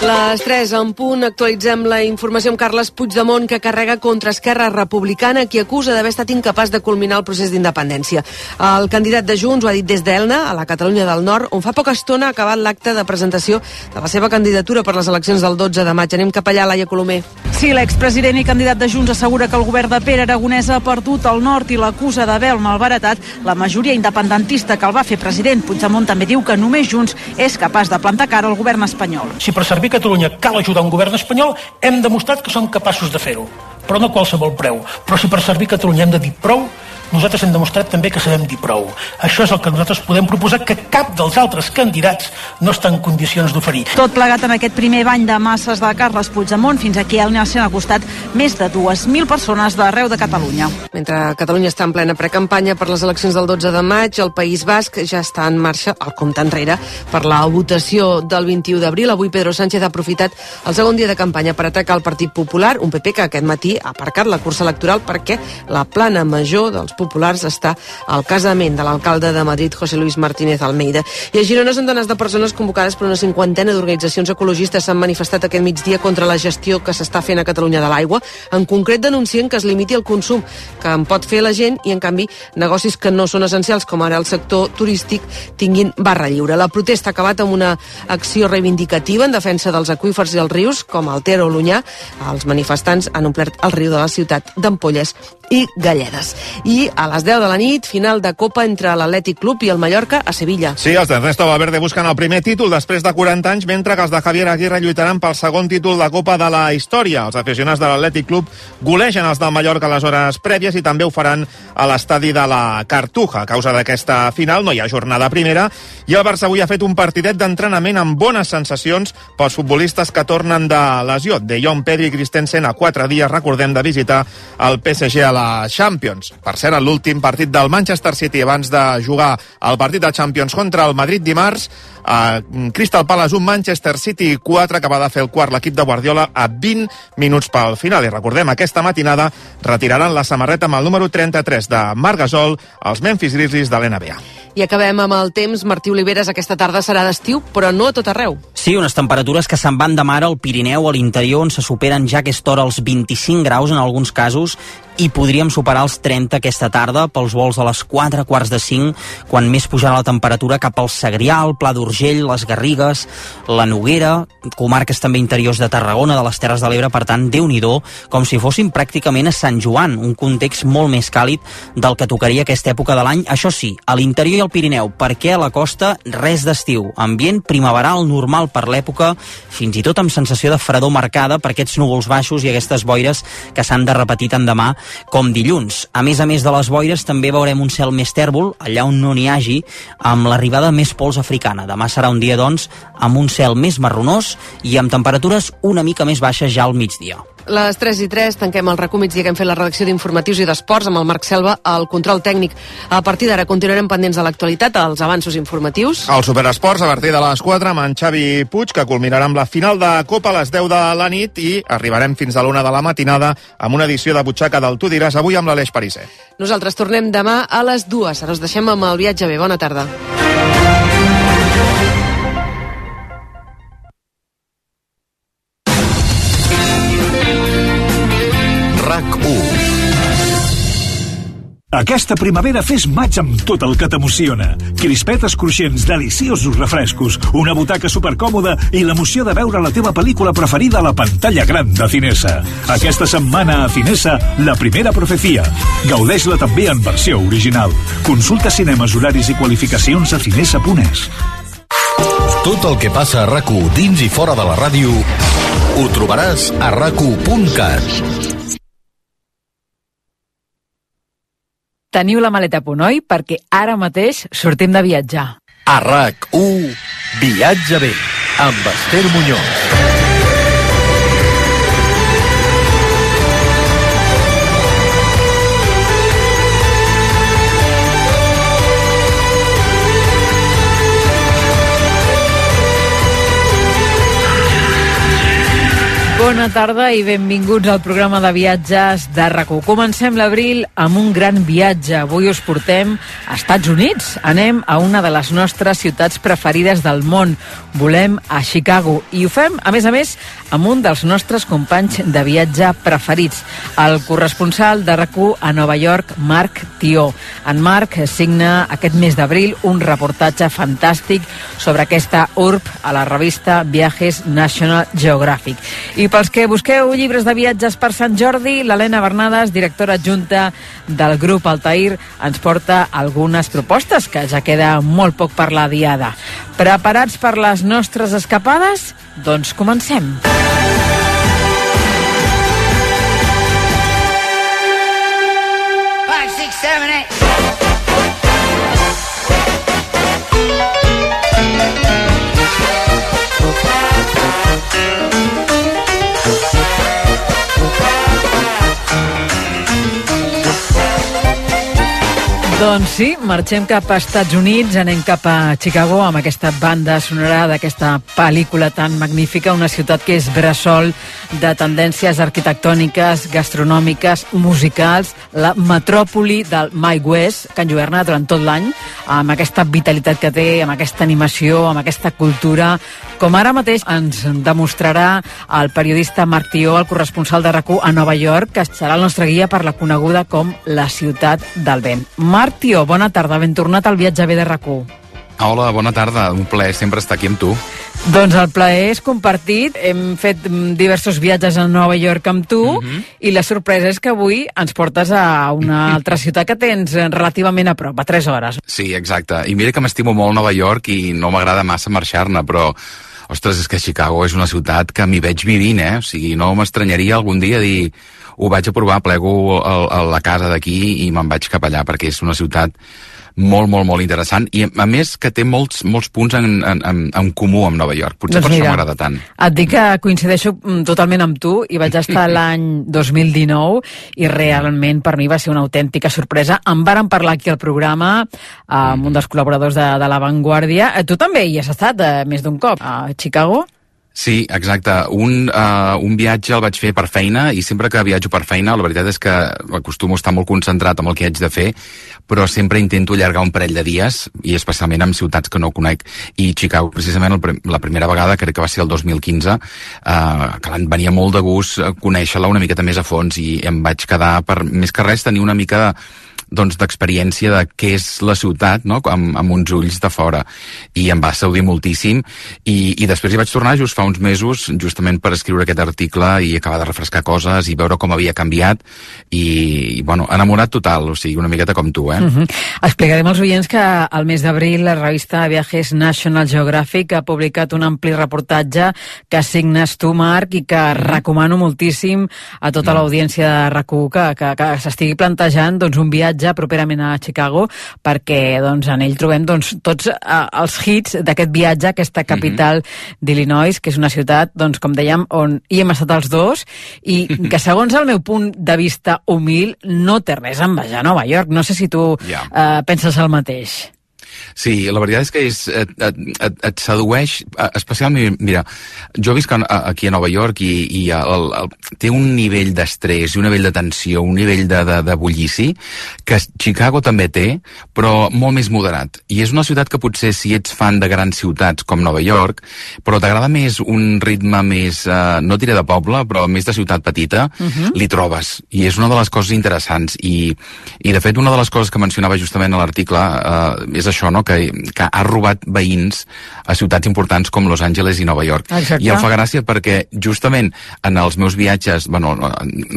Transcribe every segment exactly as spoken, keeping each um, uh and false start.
Les tres en punt, actualitzem la informació amb Carles Puigdemont, que carrega contra Esquerra Republicana, qui acusa d'haver estat incapaç de culminar el procés d'independència. El candidat de Junts ho ha dit des d'Elna, a la Catalunya del Nord, on fa poca estona ha acabat l'acte de presentació de la seva candidatura per les eleccions del dotze de maig. Anem cap allà, Laia Colomer. Sí, l'expresident i candidat de Junts assegura que el govern de Pere Aragonès ha perdut el nord i l'acusa d'haver malbaratat la majoria independentista que el va fer president. Puigdemont també diu que només Junts és capaç de plantar cara al govern espanyol. Si per servir Catalunya cal ajudar un govern espanyol, hem demostrat que som capaços de fer-ho, però no a qualsevol preu. Però si per servir Catalunya hem de dir prou, nosaltres hem demostrat també que sabem dir prou. Això és el que nosaltres podem proposar, que cap dels altres candidats no està en condicions d'oferir. Tot plegat en aquest primer bany de masses de Carles Puigdemont. Fins aquí a Elna s'han acostat més de dues mil persones d'arreu de Catalunya. Mentre Catalunya està en plena precampanya per les eleccions del dotze de maig, el País Basc ja està en marxa el compte enrere per la votació del vint-i-u d'abril. Avui Pedro Sánchez ha aprofitat el segon dia de campanya per atacar el Partit Popular, un P P que aquest matí ha aparcat la cursa electoral perquè la plana major dels populars està al casament de l'alcalde de Madrid, José Luis Martínez Almeida. I a Girona, centenars de persones convocades per una cinquantena d'organitzacions ecologistes s'han manifestat aquest migdia contra la gestió que s'està fent a Catalunya de l'aigua. En concret denuncien que es limiti el consum que en pot fer la gent i, en canvi, negocis que no són essencials, com ara el sector turístic, tinguin barra lliure. La protesta ha acabat amb una acció reivindicativa en defensa dels aqüífers i els rius, com el Ter o l'Onyar. Els manifestants han omplert el riu de la ciutat d'ampolles i galledes. I a les deu de la nit, final de Copa entre l'Atlètic Club i el Mallorca a Sevilla. Sí, els d'Ernesto Valverde busquen el primer títol després de quaranta anys, mentre que els de Javier Aguirre lluitaran pel segon títol de Copa de la història. Els aficionats de l'Atlètic Club golegen els del Mallorca a les hores prèvies i també ho faran a l'estadi de la Cartuja. A causa d'aquesta final no hi ha jornada primera i el Barça avui ha fet un partidet d'entrenament amb bones sensacions pels futbolistes que tornen de lesió. De Jong, Pedri i Christensen a quatre dies, recordem, de visitar el P S G a la Champions. Per cert, l'últim partit del Manchester City abans de jugar el partit de Champions contra el Madrid dimarts, a Crystal Palace un, Manchester City quatre, que va de fer el quart l'equip de Guardiola a vint minuts pel final. I recordem, aquesta matinada retiraran la samarreta amb el número trenta-tres de Marc Gasol als Memphis Grizzlies de l'N B A. I acabem amb el temps. Martí Oliveres, aquesta tarda serà d'estiu, però no a tot arreu. Sí, unes temperatures que se'n van de mar al Pirineu, a l'interior, on se superen ja a aquesta hora els vint-i-cinc graus en alguns casos, i podríem superar els trenta aquesta tarda pels vols a les quatre, quarts de cinc, quan més pujarà la temperatura cap al Segrià, el Pla d'Urgell, les Garrigues, la Noguera, comarques també interiors de Tarragona, de les Terres de l'Ebre. Per tant, Déu-n'hi-do, com si fóssim pràcticament a Sant Joan, un context molt més càlid del que tocaria aquesta època de l'any. Això sí, a l'interior i al Pirineu, perquè a la costa res d'estiu, ambient primaveral normal per l'època, fins i tot amb sensació de fredor marcada per aquests núvols baixos i aquestes boires que s'han de repetir tant demà com dilluns. A més a més de les boires, també veurem un cel més tèrbol, allà on no n'hi hagi, amb l'arribada més pols africana. Demà serà un dia, doncs, amb un cel més marronós i amb temperatures una mica més baixes ja al migdia. Les tres i tres, tanquem el RAC u migdia que hem fet la redacció d'informatius i d'esports amb el Marc Selva al control tècnic. A partir d'ara continuarem pendents de l'actualitat, els avanços informatius. El Superesports a partir de les quatre amb en Xavi Puig, que culminarà amb la final de Copa a les deu de la nit, i arribarem fins a l'una de la matinada amb una edició de Butxaca del Tu diràs, avui amb l'Aleix Pariser. Nosaltres tornem demà a les dues. Ara us deixem amb el viatge bé. Bona tarda. RAC u. Aquesta primavera fes maig amb tot el que t'emociona. Crispetes cruixents, deliciosos refrescos, una butaca supercòmoda i l'emoció de veure la teva pel·lícula preferida a la pantalla gran de Cinesa. Aquesta setmana a Cinesa, La primera profecia. Gaudeix-la també en versió original. Consulta cinemes, horaris i qualificacions a cinesa punt es. Tot el que passa a RAC u dins i fora de la ràdio ho trobaràs a rac u punt cat. Teniu la maleta a punt, oi? Perquè ara mateix sortim de viatjar. A RAC u, viatja bé, amb Esther Muñoz. Bon Bona tarda i benvinguts al programa de viatges de RAC1. Comencem l'abril amb un gran viatge. Avui us portem a Estats Units. Anem a una de les nostres ciutats preferides del món. Volem a Chicago. I ho fem, a més a més, amb un dels nostres companys de viatge preferits, el corresponsal de RAC1 a Nova York, Marc Tió. En Marc signa aquest mes d'abril un reportatge fantàstic sobre aquesta urb a la revista Viajes National Geographic. I pels que busqueu llibres de viatges per Sant Jordi, l'Helena Bernades, directora adjunta del grup Altair, ens porta algunes propostes, que ja queda molt poc per la diada. Preparats per les nostres escapades? Doncs comencem. five, six, seven, eight. Doncs sí, marxem cap a Estats Units, anem cap a Chicago amb aquesta banda sonora d'aquesta pel·lícula tan magnífica, una ciutat que és bressol de tendències arquitectòniques, gastronòmiques, musicals, la metròpoli del Mike West, que enlluerna durant tot l'any, amb aquesta vitalitat que té, amb aquesta animació, amb aquesta cultura, com ara mateix ens demostrarà el periodista Marc Tió, el corresponsal de RAC1 a Nova York, que serà el nostre guia per la coneguda com la ciutat del vent. Marc Tió, bona tarda, ben tornat al viatge bé de RAC1. Hola, bona tarda, un plaer sempre estar aquí amb tu. Doncs el plaer és compartit, hem fet diversos viatges a Nova York amb tu, uh-huh. i la sorpresa és que avui ens portes a una altra ciutat que tens relativament a prop, a tres hores. Sí, exacte, i mira que m'estimo molt Nova York i no m'agrada massa marxar-ne, però ostres, és que Chicago és una ciutat que m'hi veig vivint, eh? O sigui, no m'estranyaria algun dia dir ho vaig a provar, plego a, a la casa d'aquí i me'n vaig cap allà, perquè és una ciutat molt, molt, molt interessant, i a més que té molts, molts punts en, en, en, en comú amb Nova York, potser doncs per mira, això m'agrada tant. Et dic que coincideixo totalment amb tu, i vaig estar l'any dos mil dinou, i realment per mi va ser una autèntica sorpresa. En vàrem parlar aquí al programa amb un dels col·laboradors de, de La Vanguardia. Tu també hi has estat eh, més d'un cop a Chicago? Sí, exacte. Un, uh, un viatge el vaig fer per feina, i sempre que viatjo per feina, la veritat és que acostumo a estar molt concentrat en el que haig de fer, però sempre intento allargar un parell de dies, i especialment en ciutats que no conec. I Chicago, precisament, el, la primera vegada, crec que va ser el dos mil quinze, uh, que em venia molt de gust conèixer-la una miqueta més a fons, i em vaig quedar, per més que res, tenir una mica de doncs d'experiència de què és la ciutat, no? amb, amb uns ulls de fora, i em va saudir moltíssim, i, i després hi vaig tornar just fa uns mesos, justament per escriure aquest article i acabar de refrescar coses i veure com havia canviat, i, i bueno, enamorat total, o sigui, una miqueta com tu, eh? Uh-huh. Explicarem als oients que al mes d'abril la revista Viajes National Geographic ha publicat un ampli reportatge que signes tu, Marc, i que recomano moltíssim a tota uh-huh. l'audiència de RAC1 que, que, que s'estigui plantejant doncs, un viatge properament a Chicago, perquè doncs, en ell trobem doncs, tots uh, els hits d'aquest viatge, aquesta capital mm-hmm. d'Illinois, que és una ciutat, doncs, com dèiem, on hi hem estat els dos, i que segons el meu punt de vista humil no té res a envejar a Nova York. No sé si tu yeah. uh, penses el mateix. Sí, la veritat és que és, et, et, et, et sedueix, especialment, mira, jo visc aquí a Nova York i, i el, el, té un nivell d'estrès, un nivell de tensió, un nivell de, de, de bullici, que Chicago també té, però molt més moderat. I és una ciutat que potser, si ets fan de grans ciutats com Nova York, però t'agrada més un ritme més, eh, no diré de poble, però més de ciutat petita, uh-huh. li trobes. I és una de les coses interessants. I, i de fet, una de les coses que mencionava justament a l'article eh, és això, no? que, que ha robat veïns a ciutats importants com Los Angeles i Nova York. Exacte. I em fa gràcia perquè justament en els meus viatges, bueno,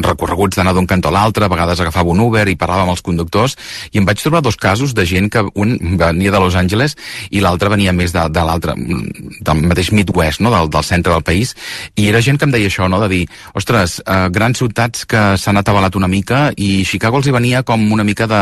recorreguts d'anar d'un cantó a l'altre, a vegades agafava un Uber i parlava amb els conductors, i em vaig trobar dos casos de gent que un venia de Los Angeles i l'altre venia més de, de l'altre, del mateix Midwest, no? del, del centre del país, i era gent que em deia això, no? de dir, ostres, eh, grans ciutats que s'han atabalat una mica, i Chicago els hi venia com una mica de,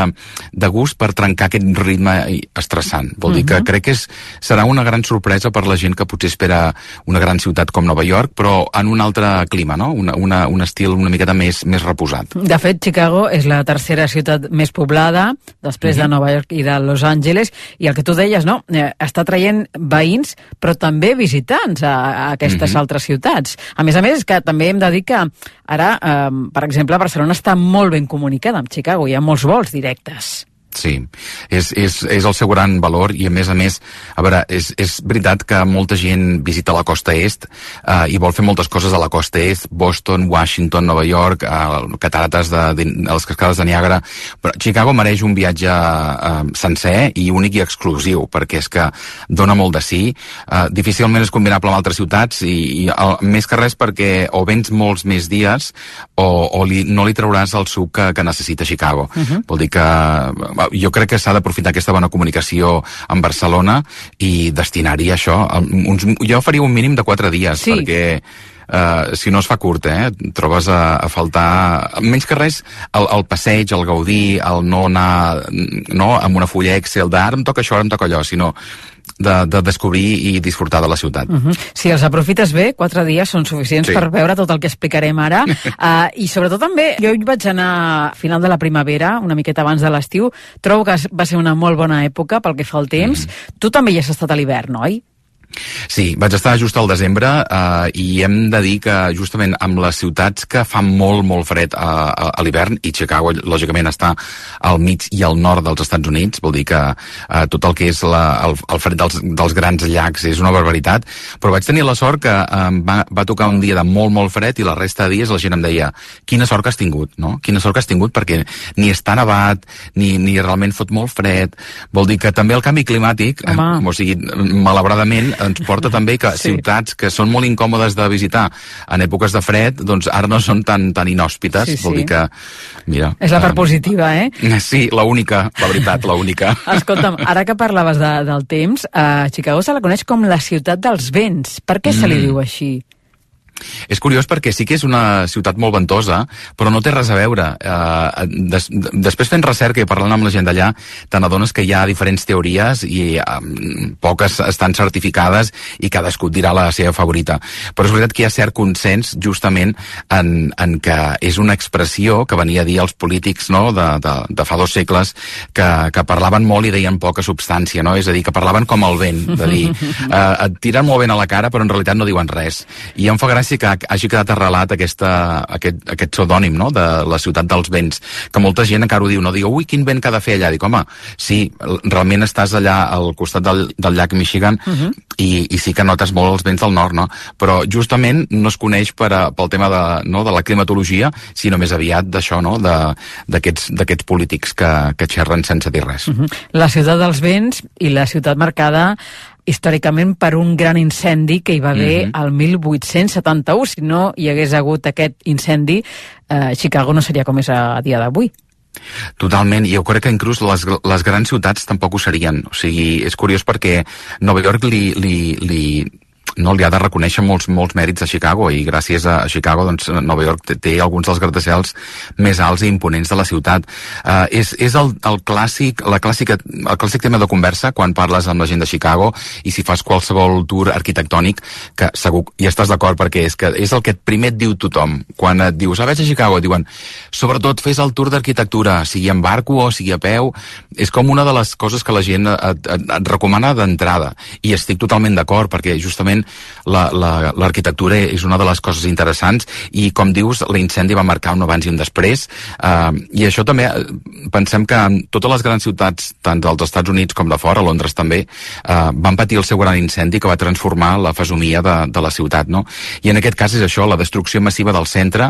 de gust per trencar aquest ritme estrany estressant. Vol dir Uh-huh. que crec que és, serà una gran sorpresa per la gent que potser espera una gran ciutat com Nova York, però en un altre clima, no? Una, una, un estil una miqueta més, més reposat. De fet, Chicago és la tercera ciutat més poblada, després uh-huh. de Nova York i de Los Angeles, i el que tu deies, no? Eh, està traient veïns, però també visitants a, a aquestes uh-huh. altres ciutats. A més a més, que també hem de dir que ara, eh, per exemple, Barcelona està molt ben comunicada amb Chicago, hi ha molts vols directes. Sí, és, és, és el seu gran valor i a més a més, a veure, és, és veritat que molta gent visita la costa est eh, i vol fer moltes coses a la costa est, Boston, Washington, Nova York, eh, catarates de, de, les cascades de Niàgara, però Chicago mereix un viatge eh, sencer i únic i exclusiu, perquè és que dona molt de sí, eh, difícilment és combinable amb altres ciutats i, i el, més que res perquè o vens molts més dies o, o li, no li trauràs el suc que, que necessita Chicago. Uh-huh. Vol dir que jo crec que s'ha d'aprofitar aquesta bona comunicació amb Barcelona i destinar-hi això. Uns, jo faria un mínim de quatre dies, sí. perquè uh, si no es fa curt, eh, trobes a, a faltar, menys que res, el, el passeig, el gaudir, el no anar no, amb una fulla Excel d'ara em toca això, ara em toca allò, sinó De, de descobrir i disfrutar de la ciutat. Uh-huh. Si els aprofites bé, quatre dies són suficients sí. per veure tot el que explicarem ara. uh, I sobretot també, jo hi vaig anar a final de la primavera, una miqueta abans de l'estiu. Trobo que va ser una molt bona època pel que fa al temps. Mm-hmm. Tu també hi has estat a l'hivern, oi? Sí, vaig estar just al desembre eh, i hem de dir que justament amb les ciutats que fan molt, molt fred a, a, a l'hivern, i Chicago lògicament està al mig i al nord dels Estats Units, vol dir que eh, tot el que és la, el, el fred dels, dels grans llacs és una barbaritat, però vaig tenir la sort que eh, va, va tocar un dia de molt, molt fred i la resta de dies la gent em deia quina sort que has tingut, no? Quina sort que has tingut perquè ni està nevat, ni, ni realment fot molt fred, vol dir que també el canvi climàtic, eh, o sigui, malauradament ens porta també que sí. ciutats que són molt incòmodes de visitar en èpoques de fred, doncs ara no són tan, tan inhòspites, sí, sí. vol dir que, mira... És la part uh, positiva, eh? Sí, la única, la veritat, la única. Escolta'm, ara que parlaves de, del temps, a Chicago se la coneix com la ciutat dels vents. Per què mm. se li diu així? És curiós perquè sí que és una ciutat molt ventosa, però no té res a veure. Uh, des, després fent recerca i parlant amb la gent d'allà, te n'adones que hi ha diferents teories i um, poques estan certificades i cadascú dirà la seva favorita. Però és veritat que hi ha cert consens justament en, en que és una expressió que venia a dir als polítics, no?, de, de, de fa dos segles que, que parlaven molt i deien poca substància, no? És a dir, que parlaven com el vent, de dir, uh, et tiren molt ben a la cara però en realitat no diuen res. I em fa gràcia que hagi quedat arrelat aquesta, aquest, aquest pseudònim, no?, de la ciutat dels vents, que molta gent encara ho diu, no diu, ui, quin vent que ha de fer allà. Dic, home, sí, realment estàs allà al costat del, del llac Michigan uh-huh. i, i sí que notes molt els vents del nord, no? Però justament no es coneix per a, pel tema de, no, de la climatologia, sinó més aviat d'això, no?, d'aquests d'aquests polítics que, que xerren sense dir res. Uh-huh. La ciutat dels vents i la ciutat marcada històricament per un gran incendi que hi va haver mm-hmm. al mil vuit-cents setanta-u. Si no hi hagués hagut aquest incendi, eh, Chicago no seria com és a dia d'avui. Totalment, i jo crec que inclús les, les grans ciutats tampoc ho serien. O sigui, és curiós perquè Nova York li... li, li no li ha de reconèixer molts, molts mèrits a Chicago, i gràcies a Chicago doncs, Nova York té, té alguns dels gratacels més alts i imponents de la ciutat. Uh, és és el, el, clàssic, la clàssica, el clàssic tema de conversa quan parles amb la gent de Chicago i si fas qualsevol tour arquitectònic, que segur hi estàs d'acord perquè és que és el que primer et diu tothom. Quan et dius, ah, vaig a Chicago, et diuen, sobretot fes el tour d'arquitectura, sigui en barco o sigui a peu, és com una de les coses que la gent et, et, et recomana d'entrada, i estic totalment d'acord perquè justament l'arquitectura la, la, és una de les coses interessants i, com dius, l'incendi va marcar un abans i un després, uh, i això també pensem que totes les grans ciutats, tant dels Estats Units com de fora, Londres també, uh, van patir el seu gran incendi que va transformar la fesomia de, de la ciutat, no? I en aquest cas és això, la destrucció massiva del centre.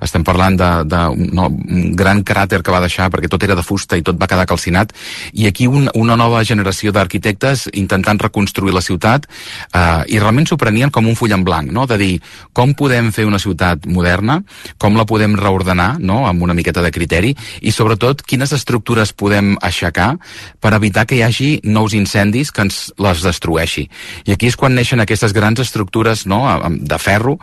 Estem parlant de, de no, un gran cràter que va deixar perquè tot era de fusta i tot va quedar calcinat, i aquí un, una nova generació d'arquitectes intentant reconstruir la ciutat, uh, i realment s'ho prenien com un full en blanc, no?, de dir com podem fer una ciutat moderna, com la podem reordenar, no?, amb una miqueta de criteri, i sobretot quines estructures podem aixecar per evitar que hi hagi nous incendis que ens les destrueixi. I aquí és quan neixen aquestes grans estructures, no?, de ferro,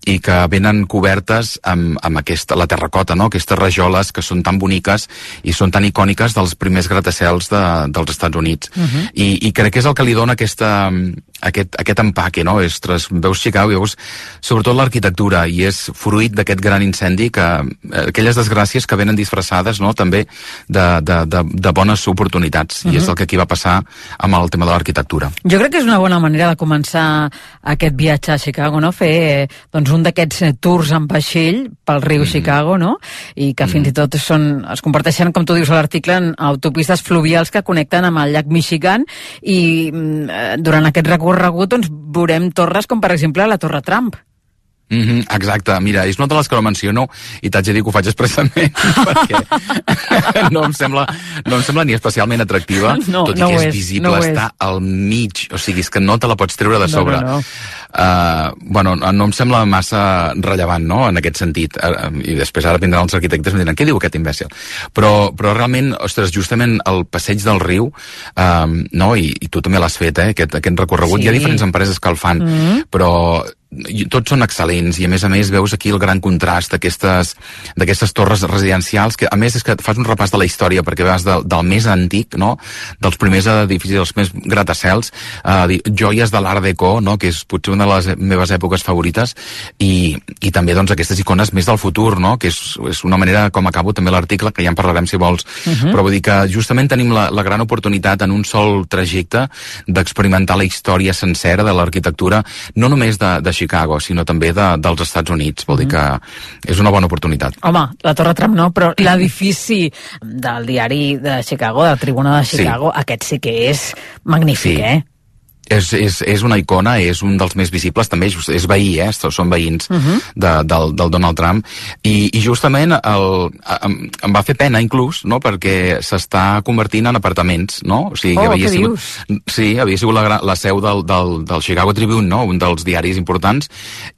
i que venen cobertes amb, amb aquesta, la terracota, no? Aquestes rajoles que són tan boniques i són tan icòniques dels primers gratacels de, dels Estats Units. Uh-huh. I, I crec que és el que li dona aquesta, aquest, aquest empaque, no? Ostres, veus Chicago i veus sobretot l'arquitectura, i és fruit d'aquest gran incendi, que aquelles desgràcies que venen disfressades, no? També de, de, de, de bones oportunitats, uh-huh. i és el que aquí va passar amb el tema de l'arquitectura. Jo crec que és una bona manera de començar aquest viatge a Chicago, no? Fer doncs, un d'aquests tours en vaixell pel riu mm. Chicago, no? I que mm. fins i tot són, es comparteixen, com tu dius a l'article, en autopistes fluvials que connecten amb el llac Michigan, i eh, durant aquest recorregut doncs, veurem torres com, per exemple, la Torre Trump. Mm-hmm, exacte, mira, és una de les que no menciono i t'haig de dir que ho faig expressament perquè no em sembla no em sembla ni especialment atractiva, no, tot i no que és, és visible, no està és. Al mig, o sigui, és que no te la pots treure de sobre. No, no, no. Uh, bueno, no em sembla massa rellevant, no?, en aquest sentit, uh, i després ara vindran els arquitectes i em diran, què diu aquest imbècil? Però, però realment, ostres, justament el passeig del riu, um, no?, i, i tu també l'has fet, eh, aquest, aquest recorregut, sí. Hi ha diferents empreses que el fan, mm-hmm. però tots són excel·lents, i a més a més veus aquí el gran contrast d'aquestes d'aquestes torres residencials, que a més és que fas un repàs de la història, perquè vas del, del més antic, no?, dels primers edificis, dels més gratacels, eh, joies de l'Art Deco, no?, que és potser una de les meves èpoques favorites, i, i també doncs aquestes icones més del futur, no?, que és, és una manera com acabo també l'article, que ja en parlarem si vols, uh-huh. però vull dir que justament tenim la, la gran oportunitat en un sol trajecte d'experimentar la història sencera de l'arquitectura, no només de, de Chicago, sinó també de, dels Estats Units. Vol dir que és una bona oportunitat. Home, la Torre Trump no, però l'edifici del diari de Chicago, de la Tribuna de Chicago, sí. Aquest sí que és magnífic, sí. eh? És, és, és una icona, és un dels més visibles, també és, és veí, eh? Són veïns uh-huh. de, del, del Donald Trump, i, i justament el, em, em va fer pena inclús, no?, perquè s'està convertint en apartaments, no? O sigui, oh, que havia què sigut, dius? Sí, havia sigut la, la seu del, del, del Chicago Tribune, no?, un dels diaris importants,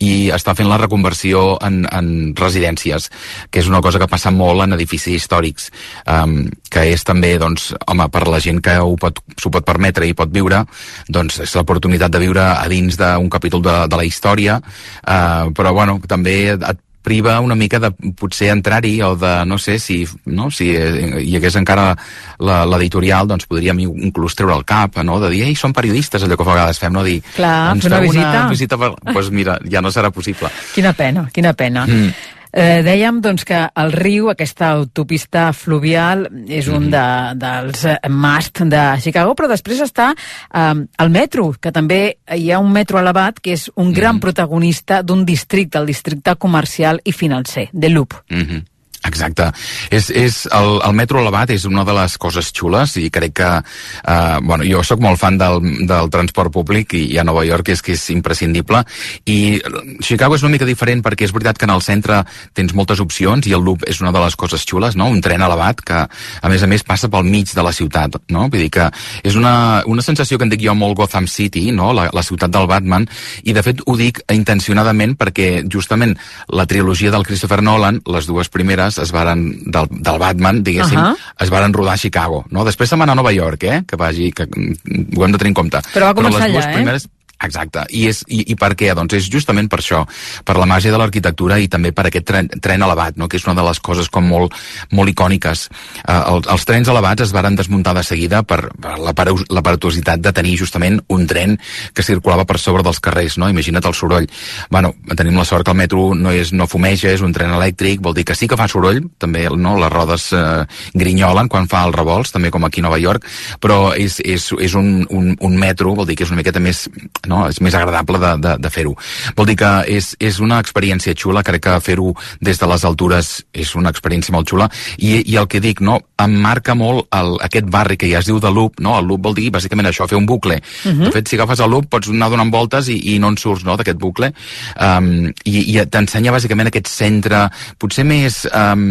i està fent la reconversió en, en residències, que és una cosa que passa molt en edificis històrics, um, que és també, doncs, home, per la gent que ho pot, s'ho pot permetre i pot viure, doncs és l'oportunitat de viure a dins d'un capítol de, de la història, eh, però bueno, també et priva una mica de potser entrar-hi, o de, no sé, si, no, si hi hagués encara l'editorial, doncs podríem inclús treure el cap, no?, de dir, ei, som periodistes, allò que a vegades fem, no?, dir, clar, ens una feu visita. una visita, per... pues mira, ja no serà possible. Quina pena, quina pena. Mm. Eh, dèiem doncs, que el riu, aquesta autopista fluvial, és un de, dels must de Chicago, però després està eh, el metro, que també hi ha un metro elevat que és un gran mm-hmm. protagonista d'un districte, el districte comercial i financer, de Loop. Mm-hmm. Exacte. És, és el, el metro elevat és una de les coses xules, i crec que eh, bueno, jo sóc molt fan del, del transport públic, i, i a Nova York és que és imprescindible, i Chicago és una mica diferent perquè és veritat que en el centre tens moltes opcions, i el Loop és una de les coses xules, no?, un tren elevat que a més a més passa pel mig de la ciutat, no?, vull dir que és una, una sensació que en dic jo molt Gotham City, no?, la, la ciutat del Batman, i de fet ho dic intencionadament perquè justament la trilogia del Christopher Nolan, les dues primeres es varen, del, del Batman, diguéssim, uh-huh. es varen rodar a Chicago, no? Després se'n va anar a Nova York, eh? Que vagi, que ho hem de tenir en compte. Però va començar Però les dues allà, primeres... eh? Exacte. I, és, i, I per què? Doncs és justament per això, per la màgia de l'arquitectura i també per aquest tren, tren elevat, no?, que és una de les coses com molt, molt icòniques. Uh, els, els trens elevats es varen desmuntar de seguida per, per l'aparatositat de tenir justament un tren que circulava per sobre dels carrers, no? Imagina't el soroll. Bueno, tenim la sort que el metro no, és, no fumeja, és un tren elèctric, vol dir que sí que fa soroll, també, no?, les rodes uh, grinyolen quan fa els revolts, també com aquí a Nova York, però és, és, és un, un, un metro, vol dir que és una miqueta més... no? És més agradable de, de, de fer-ho. Vol dir que és, és una experiència xula, crec que fer-ho des de les altures és una experiència molt xula, i, i el que dic, no, em marca molt el, aquest barri que ja es diu de Loop, no? El Loop vol dir bàsicament això, fer un bucle. Uh-huh. De fet, si agafes el Loop pots anar donant voltes i, i no en surts, no?, d'aquest bucle, um, i, i t'ensenya bàsicament aquest centre, potser més um,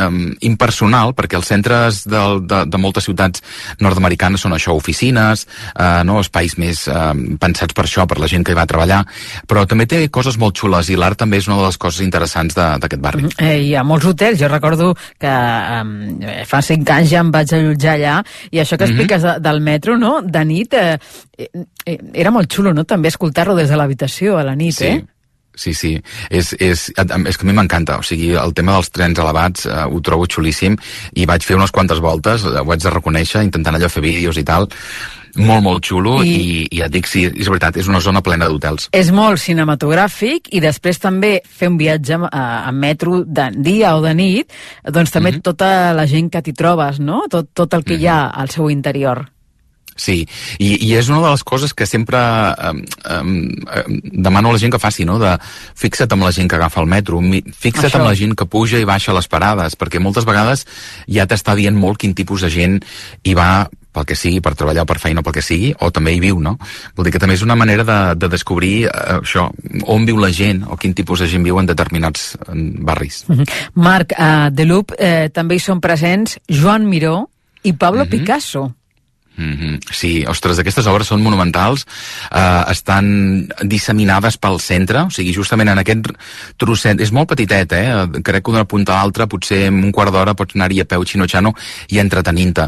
um, impersonal, perquè els centres de, de, de moltes ciutats nord-americanes són això, oficines, uh, no?, espais més um, pensats per això, per la gent que hi va treballar, però també té coses molt xules, i l'art també és una de les coses interessants d'aquest barri. Eh, hi ha molts hotels, jo recordo que eh, fa cinc anys ja em vaig allotjar allà, i això que expliques mm-hmm. de, del metro, no?, de nit, eh, eh, era molt xulo, no?, també escoltar-lo des de l'habitació a la nit, sí. eh? Sí, sí, és, és, és que a mi m'encanta, o sigui, el tema dels trens elevats eh, ho trobo xulíssim i vaig fer unes quantes voltes, ho haig de reconèixer, intentant allò fer vídeos i tal, molt, molt xulo i, i, i et dic, sí, és veritat, és una zona plena d'hotels. És molt cinematogràfic i després també fer un viatge en metro de dia o de nit, doncs també mm-hmm. tota la gent que t'hi trobes, no? Tot, tot el que mm-hmm. hi ha al seu interior. Sí, i, i és una de les coses que sempre eh, eh, demano a la gent que faci, no? De fixa't amb la gent que agafa el metro, fixa't Això. amb la gent que puja i baixa les parades, perquè moltes vegades ja t'està dient molt quin tipus de gent hi va pel que sigui, per treballar o per feina o pel que sigui, o també hi viu, no? Vol dir que també és una manera de, de descobrir eh, això, on viu la gent o quin tipus de gent viu en determinats en barris. Mm-hmm. Marc, a The Loop eh, també hi són presents Joan Miró i Pablo mm-hmm. Picasso. Mm-hmm. Sí, ostres, aquestes obres són monumentals, eh, estan disseminades pel centre, o sigui, justament en aquest trosset, és molt petitet, eh? Crec que d'una punta a l'altra, potser en un quart d'hora pots anar-hi a peu xino-xano i entretenint-te.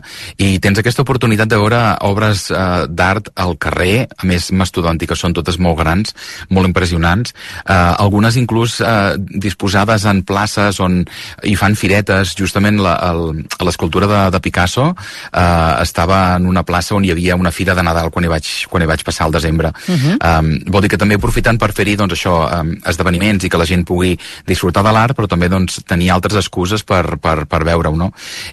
I tens aquesta oportunitat de veure obres eh, d'art al carrer, a més mastodòntiques, són totes molt grans, molt impressionants, eh, algunes inclús eh, disposades en places on hi fan firetes, justament l'escultura de, de Picasso eh, estava en una plaça on hi havia una fira de Nadal quan hi vaig, quan hi vaig passar al desembre. Uh-huh. Um, vol dir que també aprofitant per fer-hi doncs, això, um, esdeveniments i que la gent pugui disfrutar de l'art, però també doncs, tenir altres excuses per, per, per veure-ho, no?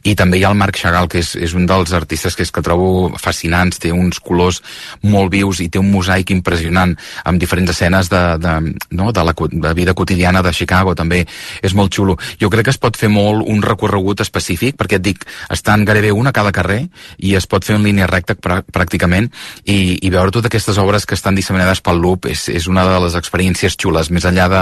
I també hi ha el Marc Chagall, que és, és un dels artistes que, és, que trobo fascinants, té uns colors molt vius i té un mosaic impressionant amb diferents escenes de, de, no? de la de vida quotidiana de Chicago, també és molt xulo. Jo crec que es pot fer molt un recorregut específic, perquè et dic, estan gairebé una a cada carrer i es pot fer en línia recta pràcticament i, i veure totes aquestes obres que estan disseminades pel Loop és, és una de les experiències xules, més enllà de,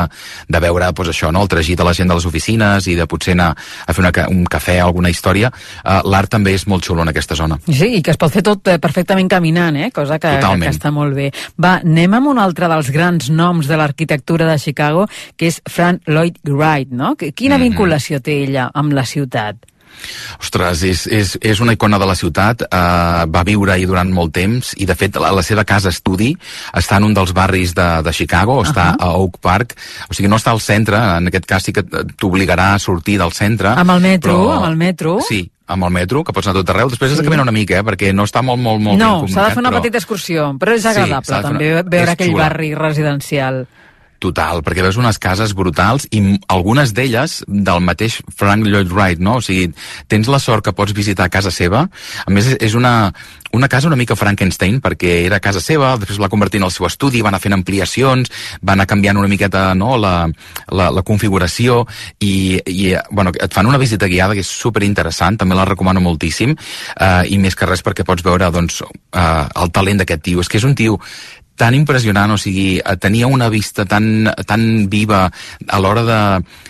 de veure pues, això, no? El tragit de la gent de les oficines i de potser anar a fer una, un cafè o alguna història, uh, l'art també és molt xulo en aquesta zona. Sí, i que es pot fer tot eh, perfectament caminant, eh? Cosa que, que, que està molt bé. Va, anem amb un altre dels grans noms de l'arquitectura de Chicago, que és Frank Lloyd Wright, no? Quina mm-hmm. vinculació té ella amb la ciutat? Ostres, és, és, és una icona de la ciutat, uh, va viure-hi durant molt temps i de fet la, la seva casa estudi està en un dels barris de, de Chicago, uh-huh. està a Oak Park, o sigui no està al centre, en aquest cas sí que t'obligarà a sortir del centre. Amb el metro, però... amb el metro. Sí, amb el metro, que pots anar tot arreu. Després sí. has de caminar una mica, eh, perquè no està molt, molt, molt no, ben comunicat. No, s'ha de fer una però... petita excursió, però és agradable sí, també una... veure és aquell xula. Barri residencial. Total, perquè veus unes cases brutals i algunes d'elles del mateix Frank Lloyd Wright, no? O sigui, tens la sort que pots visitar casa seva. A més, és una, una casa una mica Frankenstein, perquè era casa seva, després la convertint en el seu estudi, va anar fent ampliacions, va anar canviant una miqueta no, la, la, la configuració i, i bueno, et fan una visita guiada que és superinteressant, també la recomano moltíssim, eh, i més que res perquè pots veure doncs, eh, el talent d'aquest tio. És que és un tio tan impressionant, o sigui, tenia una vista tan, tan viva a l'hora de,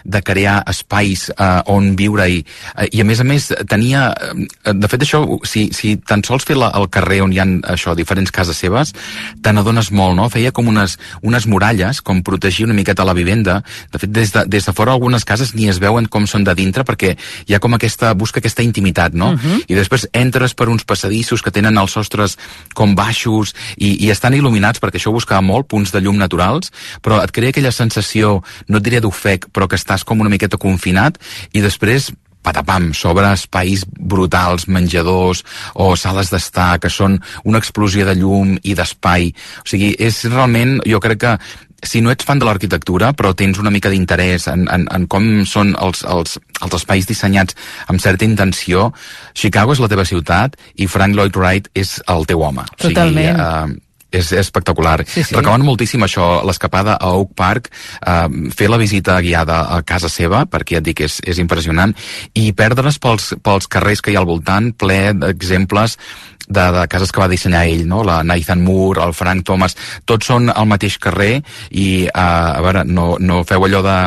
de crear espais eh, on viure-hi, eh, i a més a més tenia, eh, de fet això, si, si tan sols fer la, el carrer on hi ha això, diferents cases seves, te n'adones molt, no? Feia com unes, unes muralles, com protegir una miqueta la vivenda, de fet des de, des de fora algunes cases ni es veuen com són de dintre, perquè hi ha com aquesta, busca aquesta intimitat, no? Uh-huh. I després entres per uns passadissos que tenen els sostres com baixos i, i estan il·luminats, perquè això ho buscava molt, punts de llum naturals, però et crea aquella sensació, no et diré d'ofec, però que estàs com una miqueta confinat, i després patapam, sobre espais brutals, menjadors o sales d'estar, que són una explosió de llum i d'espai. O sigui, és realment, jo crec que si no ets fan de l'arquitectura, però tens una mica d'interès en, en, en com són els, els, els espais dissenyats amb certa intenció, Chicago és la teva ciutat i Frank Lloyd Wright és el teu home. Totalment. O sigui, uh, És espectacular. Sí, sí. Recomano moltíssim això, l'escapada a Oak Park, eh, fer la visita guiada a casa seva, perquè ja et dic, és, és impressionant, i perdre's pels, pels carrers que hi ha al voltant, ple d'exemples de, de cases que va dissenyar ell, no? La Nathan Moore, el Frank Thomas, tots són al mateix carrer i, eh, a veure, no, no feu allò de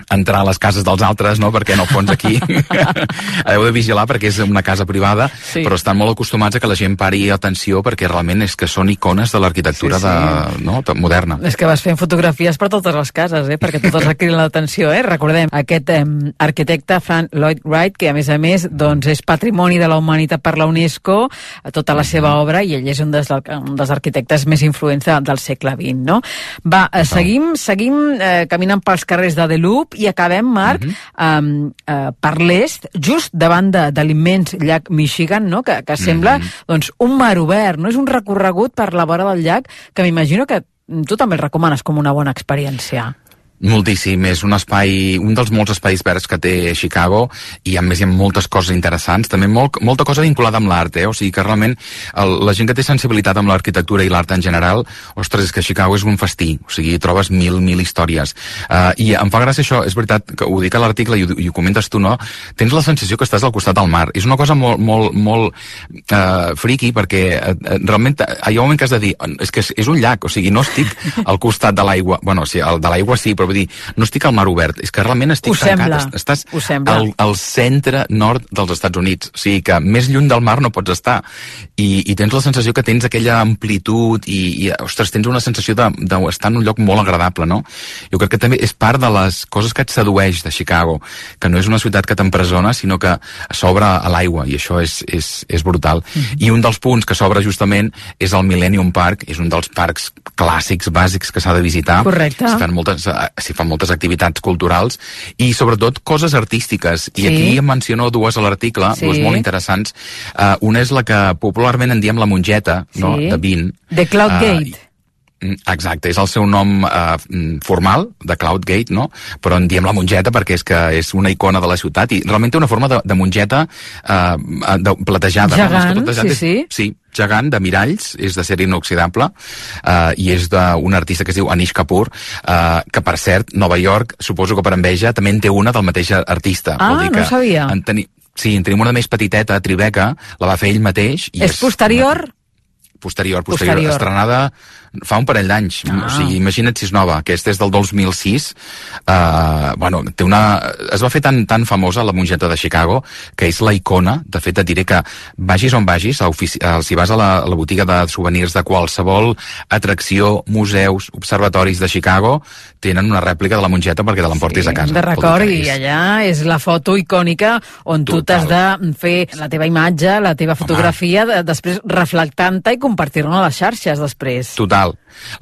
entrar a les cases dels altres, no? Perquè en el fons aquí heu de vigilar perquè és una casa privada, sí. Però estan molt acostumats a que la gent pari atenció perquè realment és que són icones de l'arquitectura sí, sí. De, no? de, moderna. És que vas fent fotografies per totes les cases, eh? Perquè totes criden l'atenció, eh? Recordem, aquest eh, arquitecte Frank Lloyd Wright, que a més a més doncs, és patrimoni de la humanitat per la UNESCO, tota la seva obra, i ell és un dels, un dels arquitectes més influents de, del segle vint, no? Va, eh, seguim, seguim eh, caminant pels carrers de The Loop i acabem, Marc, uh-huh. eh, eh, per l'est, just davant de, de l'immens llac Michigan, no? que, que sembla uh-huh. doncs, un mar obert, no? És un recorregut per la vora del llac que m'imagino que tu també el recomanes com una bona experiència. Moltíssim, és un espai, un dels molts espais verds que té Chicago, i a més hi ha moltes coses interessants, també molt, molta cosa vinculada amb l'art, eh? O sigui que realment el, la gent que té sensibilitat amb l'arquitectura i l'art en general, ostres, és que Chicago és un festí, o sigui, trobes mil, mil històries. Uh, I em fa gràcia això, és veritat, que ho dic a l'article i, i ho comentes tu, no? Tens la sensació que estàs al costat del mar. És una cosa molt, molt, molt uh, friqui, perquè uh, realment hi ha un moment que has de dir, és que és, és un llac, o sigui, no estic al costat de l'aigua, bueno, sí, el de l'aigua sí, però vull dir, no estic al mar obert, és que realment estic tancat, estàs al, al centre nord dels Estats Units, o sigui que més lluny del mar no pots estar, i, i tens la sensació que tens aquella amplitud i, i ostres, tens una sensació d'estar de, de en un lloc molt agradable, no? Jo crec que també és part de les coses que et sedueix de Chicago, que no és una ciutat que t'empresona, sinó que s'obre a l'aigua, i això és, és, és brutal. Mm-hmm. I un dels punts que s'obre justament és el Millennium Park, és un dels parcs clàssics, bàsics que s'ha de visitar. Correcte. S'hi fan moltes, s'hi fan moltes activitats culturals i sobretot coses artístiques, i sí. Aquí em menciono dues a l'article, sí. Dues molt interessants. Uh, una és la que popularment en diem la mongeta, sí. No? De vint. The Cloud Gate. Uh, Exacte, és el seu nom eh, formal, de Cloud Gate, no? Però en diem la mongeta perquè és que és una icona de la ciutat i realment té una forma de, de mongeta eh, de, platejada. Gegant, no? sí, sí. Sí, gegant, de miralls, és d'acer inoxidable eh, i és d'un artista que es diu Anish Kapoor, eh, que per cert, Nova York, suposo que per enveja, també en té una del mateix artista. Ah, Vol dir no que sabia. En teni... Sí, en tenim una més petiteta, Tribeca, la va fer ell mateix. I és, és posterior? Una... Posterior, posterior, posterior, estrenada fa un parell d'anys, ah. O sigui, imagina't si és nova, aquesta és del dos mil sis, uh, bueno, té una... es va fer tan, tan famosa la mongeta de Chicago, que és la icona, de fet et diré que vagis on vagis, ofici... si vas a la, a la botiga de souvenirs de qualsevol atracció, museus, observatoris de Chicago, tenen una rèplica de la mongeta perquè te l'emportis sí, a casa. De record, i allà és la foto icònica on Total. Tu t'has de fer la teva imatge, la teva fotografia, de, després reflectant-te i compartir-la a les xarxes després. Total.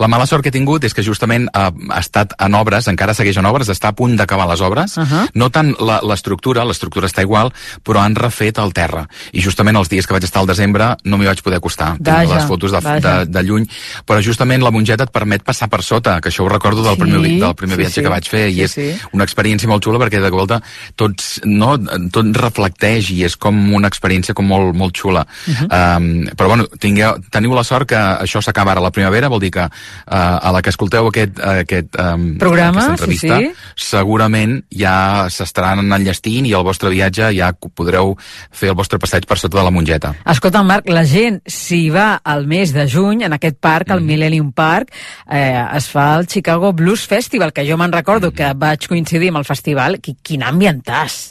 La mala sort que he tingut és que justament eh, ha estat en obres, encara segueix en obres, està a punt d'acabar les obres, uh-huh. No tant l'estructura, l'estructura està igual, però han refet el terra. I justament els dies que vaig estar al desembre no m'hi vaig poder acostar. Vaja, tinc les fotos de, de, de lluny, però justament la mongeta et permet passar per sota, que això ho recordo del sí, primer, del primer sí, viatge sí. que vaig fer, i sí, és sí. Una experiència molt xula perquè de volta tots, no, tot reflecteix i és com una experiència com molt, molt xula. Uh-huh. Um, però bueno, tingueu, teniu la sort que això s'acaba ara a la primavera, vol dir que uh, a la que escolteu aquest, aquest um, programa, aquesta entrevista, sí, sí. Segurament ja s'estaran enllestint i el vostre viatge ja podreu fer el vostre passeig per sota de la mongeta. Escolta, Marc, la gent, si va al mes de juny, en aquest parc, el mm. Millennium Park, eh, es fa el Chicago Blues Festival, que jo me'n recordo mm. que vaig coincidir amb el festival. Quin ambientàs!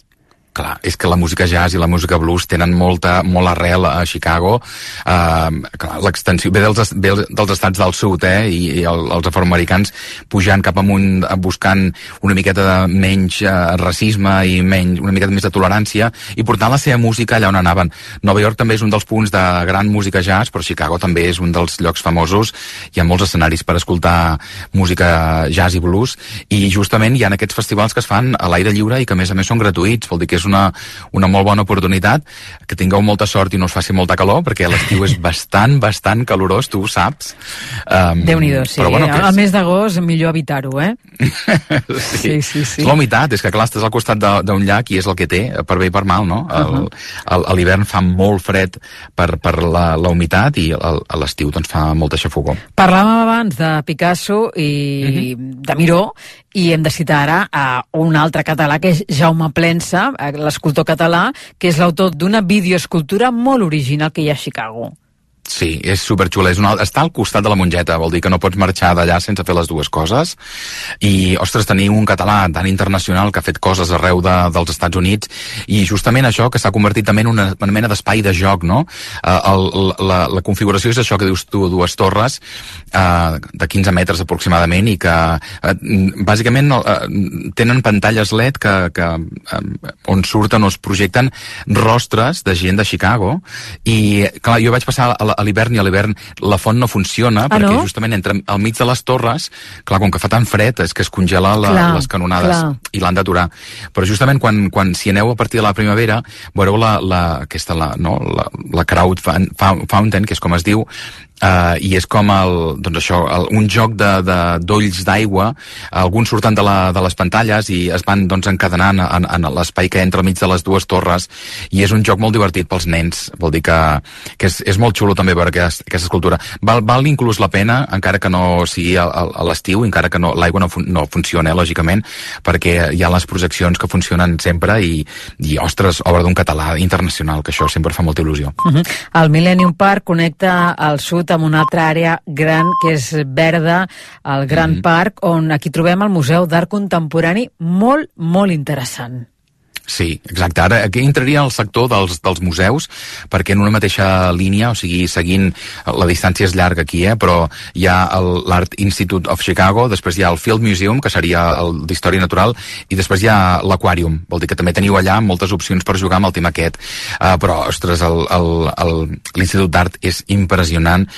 Clar, és que la música jazz i la música blues tenen molta, molt arrel a Chicago. Uh, clar, l'extensió ve dels, ve dels estats del sud, eh, i, i el, els afroamericans pujant cap amunt, buscant una miqueta de menys uh, racisme i menys, una miqueta més de tolerància, i portant la seva música allà on anaven. Nova York també és un dels punts de gran música jazz, però Chicago també és un dels llocs famosos. Hi ha molts escenaris per escoltar música jazz i blues, i justament hi ha aquests festivals que es fan a l'aire lliure i que a més a més són gratuïts, vol dir que és una, una molt bona oportunitat, que tingueu molta sort i no us faci molta calor, perquè l'estiu és bastant, bastant calorós, tu ho saps. Um, Déu-n'hi-do, sí. Però, bueno, al mes d'agost millor evitar-ho, eh? sí. sí, sí, sí. És la humitat, és que clar, estàs al costat d'un llac i és el que té, per bé i per mal, no? Uh-huh. A l'hivern fa molt fred per, per la, la humitat i a l'estiu doncs fa molta xafogor. Parlàvem abans de Picasso i uh-huh. de Miró, i hem de citar ara a un altre català, que és Jaume Plensa, l'escultor català, que és l'autor d'una videoescultura molt original que hi ha a Chicago. Sí, és superxula. És una... Està al costat de la Mongeta, vol dir que no pots marxar d'allà sense fer les dues coses. I, ostres, tenim un català tan internacional que ha fet coses arreu de, dels Estats Units, i justament això que s'ha convertit també en una, una mena d'espai de joc, no? Uh, el, la, la configuració és això que dius tu, dues torres uh, de quinze metres aproximadament, i que uh, bàsicament uh, tenen pantalles L E D que, que, uh, on surten o es projecten rostres de gent de Chicago. I, clar, jo vaig passar a la a l'hivern, i a l'hivern la font no funciona, ah, perquè no? justament entre al mig de les torres, clar, com que fa tan fred, és que es congela la, clar, les canonades, clar. I l'han d'aturar. Però justament quan, quan si aneu a partir de la primavera, veureu la, la, aquesta, la, no, la, la crowd fountain, que és com es diu, Uh, i és com el, doncs això, el, un joc de, de, d'olls d'aigua, alguns surten de, la, de les pantalles i es van doncs, encadenant en, en l'espai que entra al mig de les dues torres, i és un joc molt divertit pels nens, vol dir que, que és, és molt xulo també veure aquesta, aquesta escultura. Val, val inclús la pena, encara que no sigui a, a, a l'estiu, encara que no, l'aigua no, fun, no funciona, eh, lògicament, perquè hi ha les projeccions que funcionen sempre, i, i ostres, obra d'un català internacional, que això sempre fa molta il·lusió. Uh-huh. El Millennium Park connecta al sud amb una altra àrea gran que és verda, el Grand mm. Park, on aquí trobem el Museu d'Art Contemporani, molt, molt interessant. Sí, exacte. Ara aquí entraria el sector dels, dels museus, perquè en una mateixa línia, o sigui, seguint, la distància és llarga aquí, eh, però hi ha l'Art Institute of Chicago, després hi ha el Field Museum, que seria el d'Història Natural, i després hi ha l'Aquàrium, vol dir que també teniu allà moltes opcions per jugar amb el tema aquest. Uh, però, ostres, l'Institut d'Art és impressionant.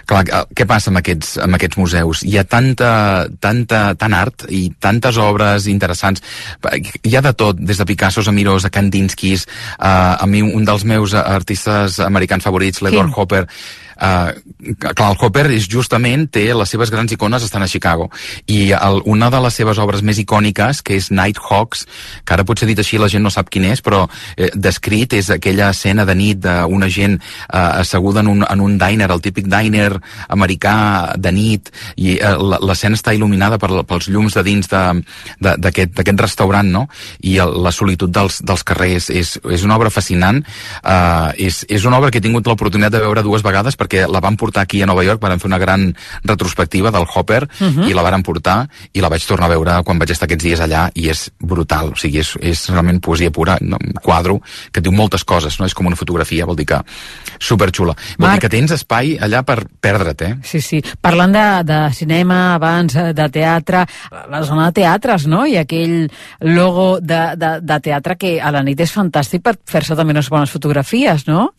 Clar, què passa amb aquests, amb aquests museus? Hi ha tanta, tanta, tant art i tantes obres interessants. Hi ha de tot, des de Picasso a Mirós, a Kandinskis, uh, a mi un dels meus artistes americans favorits, l'Edward Hopper. Uh, clar, el Hopper és justament té les seves grans icones estan a Chicago, i el, una de les seves obres més icòniques, que és Nighthawks, que ara potser dit així la gent no sap quin és, però eh, descrit és aquella escena de nit d'una gent eh, asseguda en un, en un diner, el típic diner americà de nit, i eh, l'escena està il·luminada per, pels llums de dins d'aquest restaurant, no? I el, la solitud dels, dels carrers és, és una obra fascinant. eh, és, és una obra que he tingut l'oportunitat de veure dues vegades, perquè la van portar aquí a Nova York, van fer una gran retrospectiva del Hopper, uh-huh. i la van portar, i la vaig tornar a veure quan vaig estar aquests dies allà, i és brutal, o sigui, és, és realment poesia pura, no? Un quadre que diu moltes coses, no? És com una fotografia, vol dir que superxula. Vol Marc, dir que tens espai allà per perdre't, eh? Sí, sí. Parlant de, de cinema, abans, de teatre, la zona de teatres, no? I aquell logo de, de, de teatre que a la nit és fantàstic per fer-se també unes bones fotografies, no?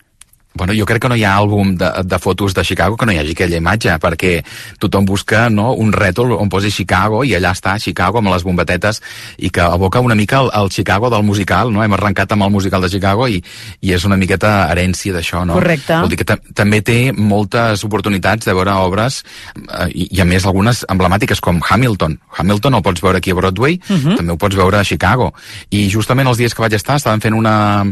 Bueno, jo crec que no hi ha àlbum de, de fotos de Chicago que no hi hagi aquella imatge, perquè tothom busca, no, un rètol on posi Chicago, i allà està Chicago amb les bombetetes, i que evoca una mica el, el Chicago del musical, no? Hem arrencat amb el musical de Chicago, i, i és una miqueta herència d'això, no? Correcte. Vol dir que també té moltes oportunitats de veure obres, eh, i, i a més algunes emblemàtiques com Hamilton. Hamilton el pots veure aquí a Broadway, uh-huh. també ho pots veure a Chicago. I justament els dies que vaig estar estaven fent una,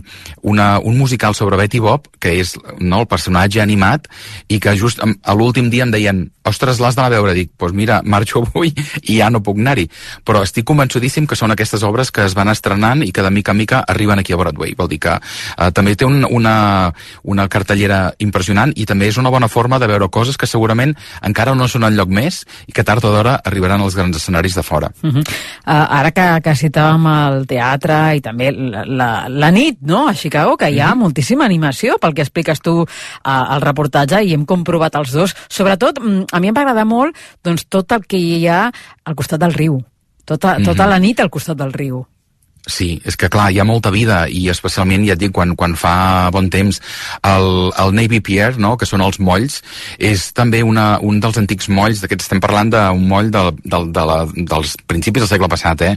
una, un musical sobre Betty Boop, que és, no, el personatge animat, i que just a l'últim dia em deien, ostres, l'has d'anar a veure. Dic, doncs pues mira, marxo avui i ja no puc anar-hi. Però estic convençudíssim que són aquestes obres que es van estrenant i que de mica en mica arriben aquí a Broadway. Vol dir que eh, també té un, una, una cartellera impressionant, i també és una bona forma de veure coses que segurament encara no són enlloc més i que tard o d'hora arribaran als grans escenaris de fora. Uh-huh. uh, ara que, que citàvem el teatre i també la, la, la nit, no?, a Chicago, que hi ha uh-huh. moltíssima animació, pel que expliques tu uh, al reportatge, i hem comprovat els dos. Sobretot, a mi em va agradar molt, doncs, tot el que hi ha al costat del riu. Tota, tota mm-hmm. la nit al costat del riu. Sí, és que clar, hi ha molta vida, i especialment, ja et dic, quan, quan fa bon temps, el, el Navy Pier, no?, que són els molls, és també una, un dels antics molls, d'aquests estem parlant d'un moll de, de, de la, dels principis del segle passat, eh?,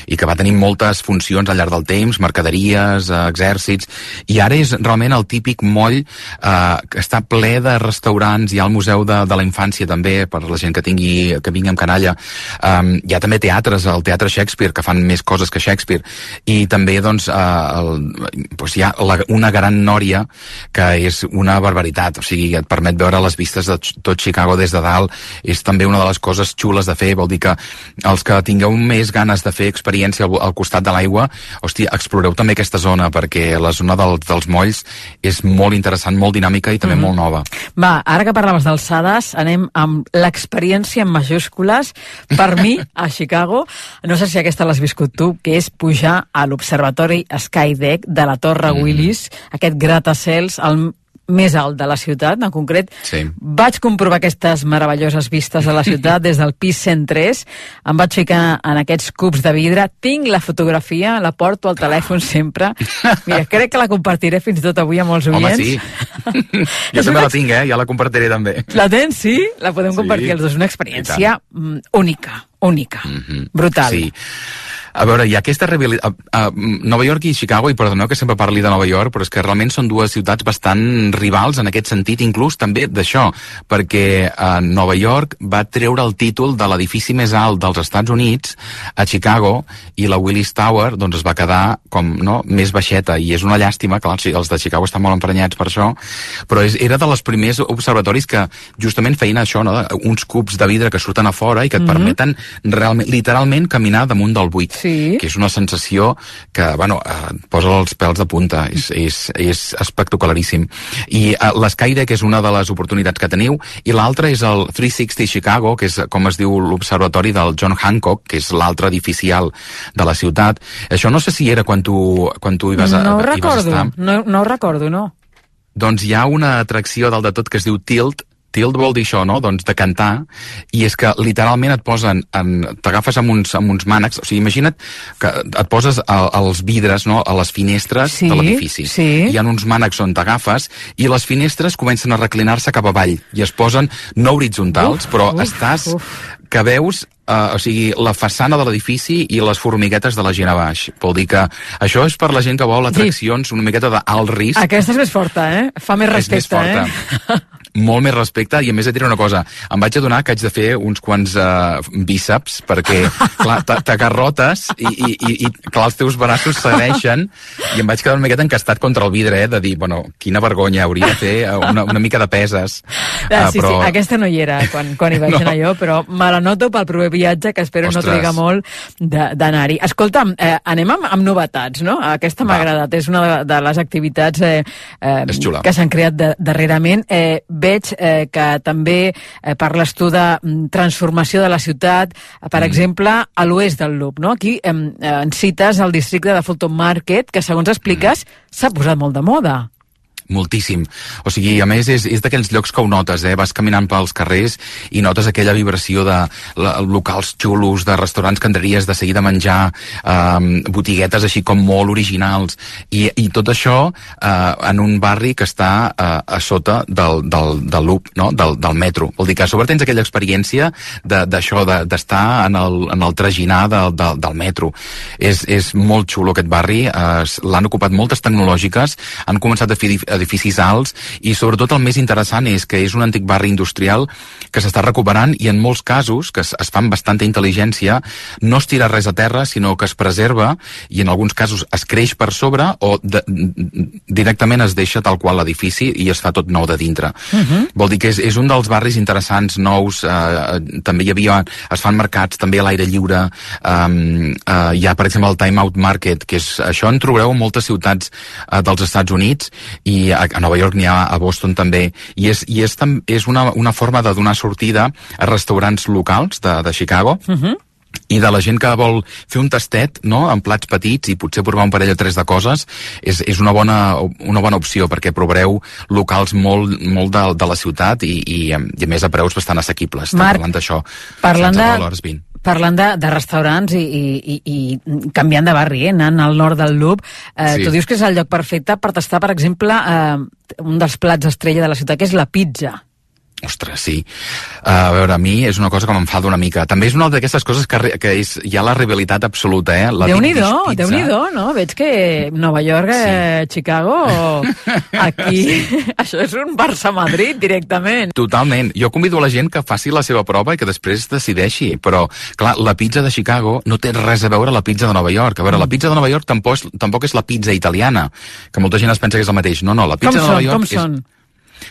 i que va tenir moltes funcions al llarg del temps, mercaderies, eh, exèrcits, i ara és realment el típic moll eh, que està ple de restaurants. Hi ha el Museu de, de la Infància també, per la gent que tingui, que vingui amb canalla. Um, hi ha també teatres, el Teatre Shakespeare, que fan més coses que Shakespeare. i també doncs, eh, el, doncs hi ha la, una gran nòria que és una barbaritat, o sigui, et permet veure les vistes de tot Chicago des de dalt, és també una de les coses xules de fer, vol dir que els que tingueu més ganes de fer experiència al, al costat de l'aigua, hòstia, exploreu també aquesta zona, perquè la zona del, dels molls és molt interessant, molt dinàmica i també mm-hmm. molt nova. Va, ara que parlaves d'alçades, anem amb l'experiència en majúscules, per mi, a Chicago, no sé si aquesta l'has viscut tu, que és pujar a l'observatori Skydeck de la Torre mm. Willis, aquest gratacels, el més alt de la ciutat, en concret. Sí. Vaig comprovar aquestes meravelloses vistes de la ciutat des del pis cent tres, em vaig ficar en aquests cubs de vidre, tinc la fotografia, la porto al telèfon sempre. Mira, crec que la compartiré fins i tot avui amb molts oients. Home, sí. Jo també la tinc, eh? Ja la compartiré també. La tens, sí? La podem sí. compartir els dos. Una experiència única, única, mm-hmm. brutal. Sí. A veure, hi ha aquesta rivalitat... A, a Nova York i Chicago, i perdoneu que sempre parli de Nova York, però és que realment són dues ciutats bastant rivals en aquest sentit, inclús també d'això, perquè a Nova York va treure el títol de l'edifici més alt dels Estats Units a Chicago, i la Willis Tower doncs, es va quedar com no, més baixeta, i és una llàstima, clar, els de Chicago estan molt emprenyats per això, però és, era de les primers observatoris que justament feien això, no? Uns cubs de vidre que surten a fora i que et mm-hmm. permeten realment, literalment caminar damunt del buit. Sí. Que és una sensació que, bueno, eh, posa els pèls de punta, és, és, és espectacularíssim. I eh, l'Skydeck és una de les oportunitats que teniu, i l'altra és el tres seixanta Chicago, que és, com es diu, l'observatori del John Hancock, que és l'altre edifici alt de la ciutat. Això no sé si era quan tu, quan tu hi vas, a, no hi vas estar. No, no ho recordo, no. Doncs hi ha una atracció dalt de tot que es diu Tilt. Tilt vol dir això, no? Doncs de cantar, i és que literalment et posen, en, t'agafes amb uns, amb uns mànecs, o sigui, imagina't que et poses a, als vidres, no?, a les finestres sí, de l'edifici. Sí. Hi ha uns mànecs on t'agafes i les finestres comencen a reclinar-se cap avall i es posen no horitzontals, uf, però uf, estàs... Uf. que veus Uh, o sigui, la façana de l'edifici i les formiguetes de la gent a baix. Vol dir que això és per la gent que vol atraccions sí. una miqueta d'alt risc. Aquesta és més forta, eh? Fa més respecte, és més forta. eh? Molt més respecte, i a més et diré una cosa, em vaig adonar que haig de fer uns quants uh, bíceps, perquè clar, t'agarrotes i, i, i, i clar, els teus braços segueixen, i em vaig quedar una miqueta encastat contra el vidre, eh, de dir, bueno, quina vergonya, hauria de fer una, una mica de peses. Ah, sí, uh, però... sí, aquesta no hi era quan, quan hi vaig no. anar jo, però me la noto pel proper viatge, que espero Ostres. no triga molt d'anar-hi. Escolta'm, eh, anem amb, amb novetats, no? Aquesta m'ha agradat, és una de, de les activitats eh, eh, que s'han creat de, darrerament. Eh, veig eh, que també eh, parles tu de transformació de la ciutat, per mm. exemple, a l'oest del Loop, no? Aquí eh, en cites el districte de Fulton Market, que segons expliques mm. s'ha posat molt de moda. Moltíssim. O sigui, a més, és, és d'aquells llocs que ho notes, eh? Vas caminant pels carrers i notes aquella vibració de la, locals xulos, de restaurants que entraries de seguida a menjar, eh, botiguetes així com molt originals, i, i tot això eh, en un barri que està eh, a sota del, del, del loop, no? del, del metro. Vol dir que a sobre tens aquella experiència d'això, de, d'estar de, en, el, en el traginar de, de, del metro. És, és molt xulo aquest barri, eh, l'han ocupat moltes tecnològiques, han començat a fer edificis alts, i sobretot el més interessant és que és un antic barri industrial que s'està recuperant, i en molts casos, que es, es fan bastanta intel·ligència, no es tira res a terra, sinó que es preserva, i en alguns casos es creix per sobre, o de, directament es deixa tal qual l'edifici i es fa tot nou de dintre. Uh-huh. Vol dir que és, és un dels barris interessants, nous, eh, també hi havia, es fan mercats també a l'aire lliure, eh, eh, hi ha per exemple el Time Out Market, que és, això en trobareu en moltes ciutats eh, dels Estats Units, i a, a Nova York n'hi ha, a Boston també, i és, i és, tam, és una, una forma de donar sortida a restaurants locals de, de Chicago, uh-huh. i de la gent que vol fer un tastet, no?, en plats petits, i potser provar un parell o tres de coses, és, és una, bona, una bona opció, perquè provareu locals molt, molt de, de la ciutat, i, i, i a més a preus bastant assequibles. Marc, parlant d'això, parlant de... Parlant de, de restaurants i, i, i canviant de barri, eh, anant al nord del Loop, eh, sí. tu dius que és el lloc perfecte per tastar, per exemple, eh, un dels plats estrella de la ciutat, que és la pizza. Ostres, sí. Uh, a veure, a mi és una cosa que m'enfada una mica. També és una d'aquestes coses que, que és, hi ha la rivalitat absoluta, eh? La Déu-n'hi-do, Déu-n'hi-do, no? Veig que Nova York, sí. eh, Chicago, aquí... Sí. Això és un Barça-Madrid, directament. Totalment. Jo convido a la gent que faci la seva prova i que després decideixi. Però, clar, la pizza de Chicago no té res a veure amb la pizza de Nova York. A veure, mm. la pizza de Nova York tampoc és, tampoc és la pizza italiana, que molta gent es pensa que és el mateix. No, no, la pizza com de Nova són, York com és... són?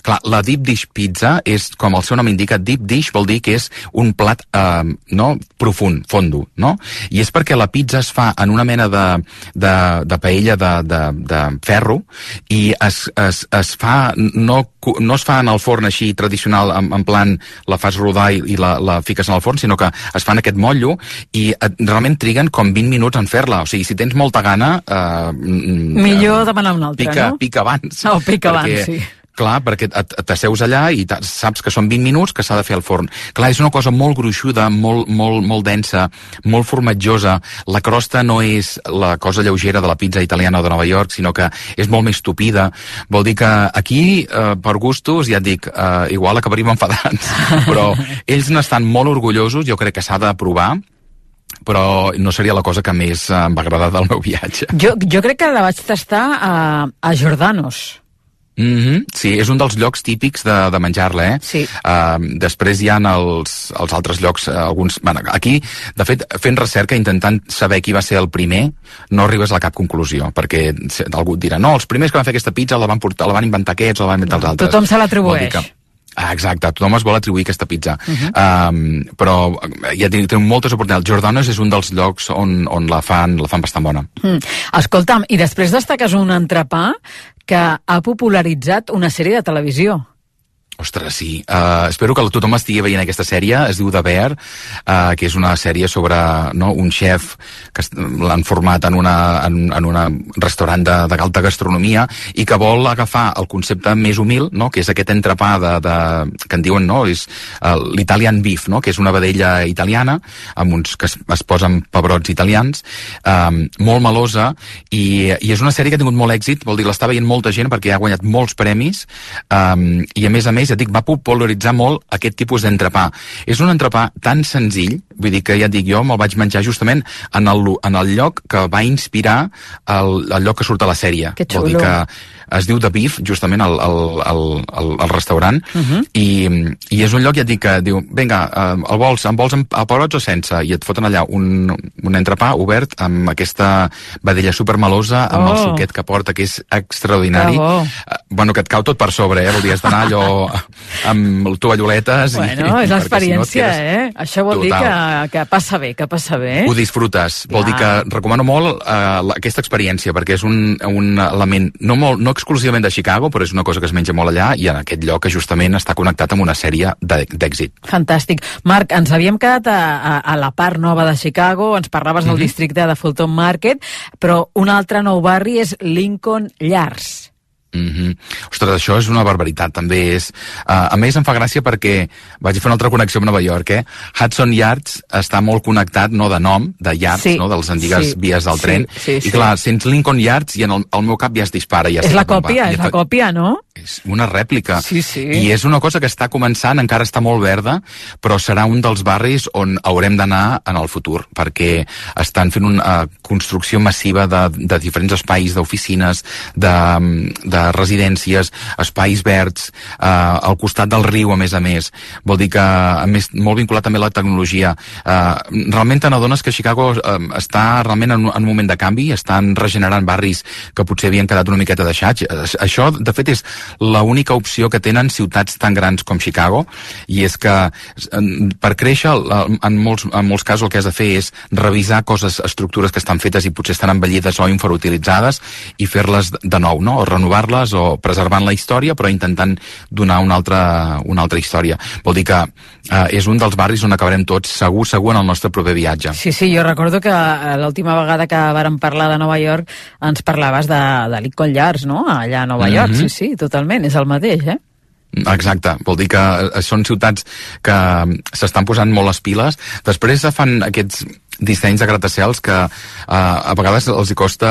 Clar, la deep dish pizza és, com el seu nom indica, deep dish vol dir que és un plat eh, no, profund, fondo, no? I és perquè la pizza es fa en una mena de, de, de paella de, de, de ferro i es, es, es fa, no, no es fa en el forn així tradicional, en, en plan la fas rodar i, i la, la fiques en el forn, sinó que es fa en aquest motllo i et, realment triguen com vint minuts en fer-la. O sigui, si tens molta gana... Eh, Millor demanar una altra, pica, no? Pica abans. Oh, pica perquè, abans, sí. Clar, perquè t'asseus allà i saps que són vint minuts que s'ha de fer al forn. Clar, és una cosa molt gruixuda, molt, molt, molt densa, molt formatjosa. La crosta no és la cosa lleugera de la pizza italiana de Nova York, sinó que és molt més tupida. Vol dir que aquí, eh, per gustos, ja et dic, eh, igual acabaríem enfadats, però ells n'estan molt orgullosos, jo crec que s'ha de provar, però no seria la cosa que més em va agradar del meu viatge. Jo, jo crec que la vaig tastar a, a Giordano's. Mm-hmm. Sí, és un dels llocs típics de, de menjar-la, eh? Sí. Uh, després hi ha els, els altres llocs, uh, alguns... Bueno, aquí, de fet, fent recerca, intentant saber qui va ser el primer, no arribes a cap conclusió, perquè algú et dirà, no, els primers que van fer aquesta pizza la van, portar, la van inventar aquests o la van inventar els altres. Tothom se l'atribueix. Ah, exacte, tothom es vol atribuir aquesta pizza. Uh-huh. um, però ja té moltes oportunitats. Giordano's és un dels llocs on, on la fan la fan bastant bona. Mm. Escolta'm, i després destaques un entrepà que ha popularitzat una sèrie de televisió. Ostres, sí. Uh, espero que tothom estigui veient aquesta sèrie. Es diu The Bear, uh, que és una sèrie sobre no, un xef que l'han format en una, en, en una restaurant de, de alta gastronomia i que vol agafar el concepte més humil, no, que és aquest entrepà de, de, que en diuen, no, és uh, l'Italian beef, no, que és una vedella italiana amb uns que es, es posen pebrots italians, um, molt melosa i, i és una sèrie que ha tingut molt èxit, vol dir, l'està veient molta gent perquè ha guanyat molts premis um, i a més a més ja et dic, va popularitzar molt aquest tipus d'entrepà. És un entrepà tan senzill, vull dir que ja et dic, jo me'l vaig menjar justament en el, en el lloc que va inspirar el, el lloc que surt a la sèrie. Que xulo. Vol dir que es diu The Beef, justament, el, el, el, el, el restaurant, uh-huh. i, i és un lloc, ja et dic, que diu, vinga, el vols, en vols amb pebrots o sense? I et foten allà un, un entrepà obert amb aquesta vedella supermelosa, amb oh. el suquet que porta, que és extraordinari. Bravo. Bueno, que et cau tot per sobre, eh? Vol dir, has d'anar allò amb tovalloletes. Bueno, i, és l'experiència, si no quedes... eh? Això vol Total. dir que, que passa bé, que passa bé. Ho disfrutes. Clar. Vol dir que recomano molt uh, aquesta experiència, perquè és un, un element no, molt, no exclusivament de Chicago, però és una cosa que es menja molt allà i en aquest lloc que justament està connectat amb una sèrie d'èxit. Fantàstic. Marc, ens havíem quedat a, a, a la part nova de Chicago, ens parlaves del mm-hmm. districte de Fulton Market, però un altre nou barri és Lincoln Yards. Mm-hmm. Ostres, això és una barbaritat, també és... Uh, a més, em fa gràcia perquè vaig fer una altra connexió amb Nova York, eh? Hudson Yards està molt connectat, no de nom, de Yards, sí. no? De les antigues sí. vies del sí. tren. Sí, sí. I clar, sents Lincoln Yards i en el, el meu cap ja es dispara. Ja és la còpia, és la còpia, no? És una rèplica. Sí, sí. I és una cosa que està començant, encara està molt verda, però serà un dels barris on haurem d'anar en el futur, perquè estan fent una uh, construcció massiva de, de diferents espais, d'oficines, de, de residències, espais verds, eh, al costat del riu, a més a més. Vol dir que, a més, molt vinculat també a la tecnologia. Eh, realment te n'adones que Chicago eh, està realment en, en un moment de canvi, estan regenerant barris que potser havien quedat una miqueta deixats. Això, de fet, és l'única opció que tenen ciutats tan grans com Chicago, i és que per créixer, en molts, en molts casos el que has de fer és revisar coses, estructures que estan fetes i potser estan envellides o infrautilitzades i fer-les de nou, no? O renovar-les o preservant la història, però intentant donar una altra, una altra història. Vol dir que eh, és un dels barris on acabarem tots segur, segur en el nostre proper viatge. Sí, sí, jo recordo que l'última vegada que vàrem parlar de Nova York ens parlaves de, de Lincoln Yards, no? Allà a Nova mm-hmm. York, sí, sí, totalment, és el mateix, eh? Exacte, vol dir que són ciutats que s'estan posant molt les piles. Després fan aquests, dissenys de gratacels que uh, a vegades els hi costa,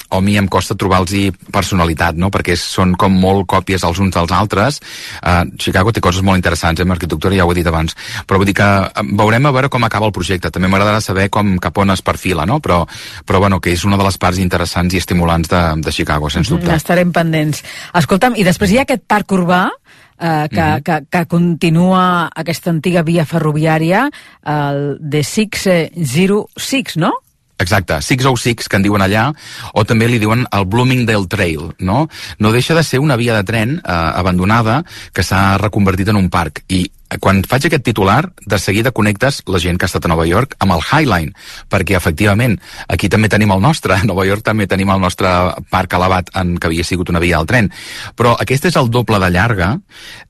o a mi em costa trobar-los personalitat, no? Perquè són com molt còpies els uns dels altres. Uh, Chicago té coses molt interessants, eh? En arquitectura ja ho he dit abans, però vull dir que veurem a veure com acaba el projecte. També m'agradarà saber com cap on es perfila, no? Però, però bueno, que és una de les parts interessants i estimulants de, de Chicago, sens dubte. Estarem pendents. Escolta'm, i després hi ha aquest parc urbà Uh, que, mm-hmm. que, que continua aquesta antiga via ferroviària, el de sis zero sis, no? Exacte, sis zero sis, que en diuen allà, o també li diuen el Bloomingdale Trail, no? No deixa de ser una via de tren eh, abandonada que s'ha reconvertit en un parc, i quan faig aquest titular, de seguida connectes la gent que ha estat a Nova York amb el High Line, perquè efectivament aquí també tenim el nostre, a Nova York també tenim el nostre parc elevat en que havia sigut una via del tren, però aquest és el doble de llarga,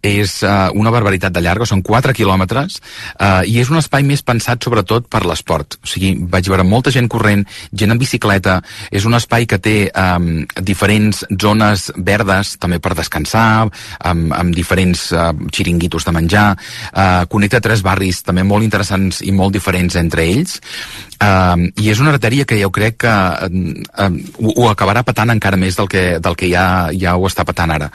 és uh, una barbaritat de llarga, són quatre quilòmetres, uh, i és un espai més pensat sobretot per l'esport, o sigui, vaig veure molta gent corrent, gent en bicicleta, és un espai que té um, diferents zones verdes també per descansar, amb, amb diferents uh, xiringuitos de menjar. Uh, connecta tres barris també molt interessants i molt diferents entre ells, uh, i és una artèria que jo crec que uh, uh, ho, ho acabarà patant encara més del que, del que ja, ja ho està patant ara,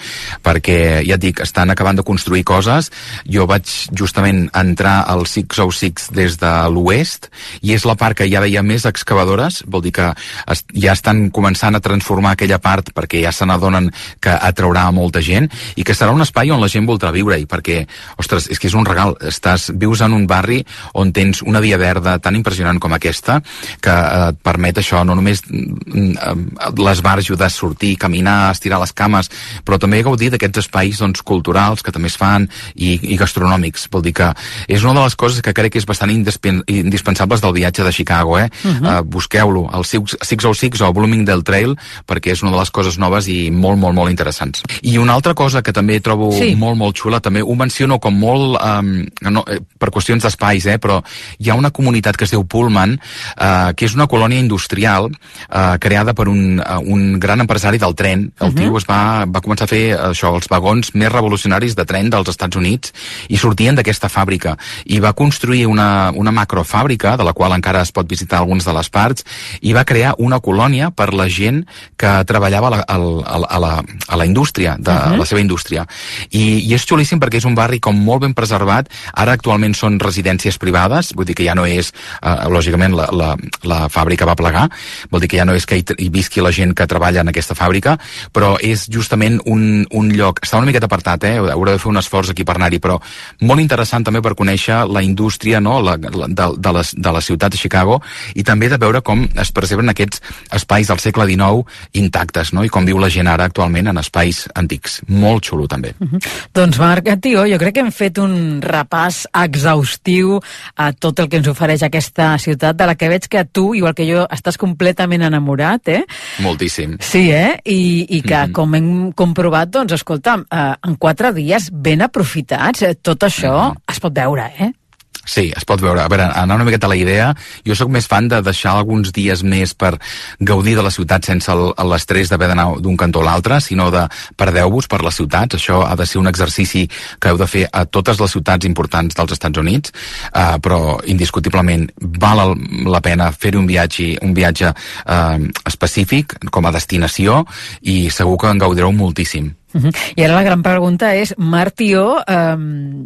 perquè ja et dic, estan acabant de construir coses. Jo vaig justament entrar al sis zero sis des de l'oest, i és la part que ja veia més excavadores, vol dir que es, ja estan començant a transformar aquella part perquè ja se n'adonen que atraurà molta gent, i que serà un espai on la gent voldrà viure-hi, perquè, ostres, és que és un regal. Estàs, vius en un barri on tens una via verda tan impressionant com aquesta, que eh, et permet això, no només eh, l'esbarjo de sortir, caminar, estirar les cames, però també gaudir d'aquests espais doncs, culturals que també es fan, i, i gastronòmics. Vol dir que és una de les coses que crec que és bastant indispensables del viatge de Chicago, eh? Uh-huh. Uh, busqueu-lo, el sis zero sis o Bloomingdale Trail, perquè és una de les coses noves i molt, molt, molt interessants. I una altra cosa que també trobo sí. molt, molt xula, també ho menciono com molt Um, no, eh, per qüestions d'espais, eh, però hi ha una comunitat que es diu Pullman, uh, que és una colònia industrial uh, creada per un, uh, un gran empresari del tren. El uh-huh. tio es va, va començar a fer això, els vagons més revolucionaris de tren dels Estats Units, i sortien d'aquesta fàbrica, i va construir una, una macrofàbrica, de la qual encara es pot visitar algunes de les parts, i va crear una colònia per la gent que treballava a la, a la, a la, a la indústria, de uh-huh. la seva indústria. I, i és xulíssim perquè és un barri com molt ben preservat. Ara actualment són residències privades, vull dir que ja no és, eh, lògicament la, la, la fàbrica va plegar, vol dir que ja no és que hi, hi visqui la gent que treballa en aquesta fàbrica, però és justament un, un lloc, està una miqueta apartat, eh? Haurà de fer un esforç aquí per anar-hi, però molt interessant també per conèixer la indústria, no? la, la, de, de, la, de la ciutat de Chicago, i també de veure com es preserven aquests espais del segle dinou intactes, no? I com viu la gent ara actualment en espais antics. Molt xulo també. Uh-huh. Doncs Marc, tio, jo crec que hem fet un repàs exhaustiu a tot el que ens ofereix aquesta ciutat, de la que veig que tu, igual que jo, estàs completament enamorat, eh? Moltíssim. Sí, eh? I, i que, mm-hmm. com hem comprovat, doncs, escolta'm, eh, en quatre dies ben aprofitats, eh, tot això mm-hmm. es pot veure, eh? Sí, es pot veure. A veure, anar una miqueta a la idea, jo sóc més fan de deixar alguns dies més per gaudir de la ciutat sense l'estrès d'haver d'anar d'un cantó a l'altre, sinó de perdeu-vos per les ciutats. Això ha de ser un exercici que heu de fer a totes les ciutats importants dels Estats Units, uh, però indiscutiblement val la pena fer-hi un viatge, un viatge uh, específic com a destinació, i segur que en gaudireu moltíssim. Uh-huh. I ara la gran pregunta és, Marc Tió, um...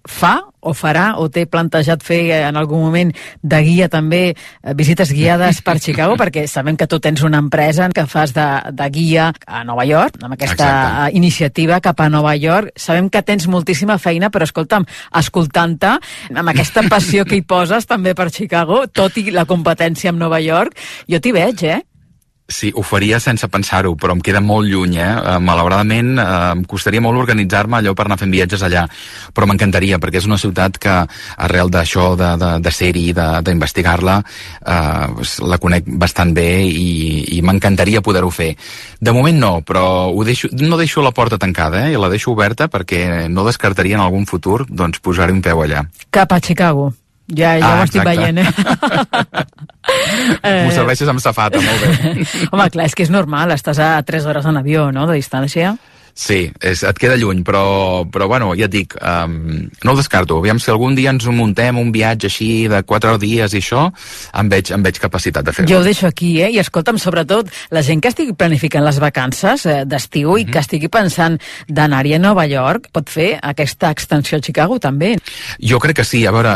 fa o farà o té plantejat fer en algun moment de guia també, visites guiades per Chicago, perquè sabem que tu tens una empresa que fas de, de guia a Nova York, amb aquesta Exacte. Iniciativa cap a Nova York. Sabem que tens moltíssima feina, però escolta'm, escoltant-te, amb aquesta passió que hi poses també per Chicago, tot i la competència amb Nova York, jo t'hi veig, eh? Sí, ho faria sense pensar-ho, però em queda molt lluny, eh? Uh, malauradament, uh, em costaria molt organitzar-me allò per anar fent viatges allà, però m'encantaria, perquè és una ciutat que, arrel d'això, de, de, de ser-hi, d'investigar-la, uh, la conec bastant bé, i, i m'encantaria poder-ho fer. De moment no, però ho deixo, no deixo la porta tancada, eh? I la deixo oberta perquè no descartaria en algun futur doncs, posar-hi un peu allà. Cap a Chicago. Ja, ja ah, ho estic veient, eh? M'ho serveixes amb safata, molt bé. Home, clar, és que és normal, estàs a tres hores en avió, no?, de distància. Sí, és, et queda lluny, però, però bueno, ja et dic, um, no ho descarto. Aviam si algun dia ens muntem un viatge així de quatre dies i això, em veig, em veig capacitat de fer-ho. Jo ho deixo aquí, eh? I escolta'm, sobretot, la gent que estigui planificant les vacances eh, d'estiu mm-hmm. i que estigui pensant d'anar-hi a Nova York, pot fer aquesta extensió a Chicago, també. Jo crec que sí. A veure,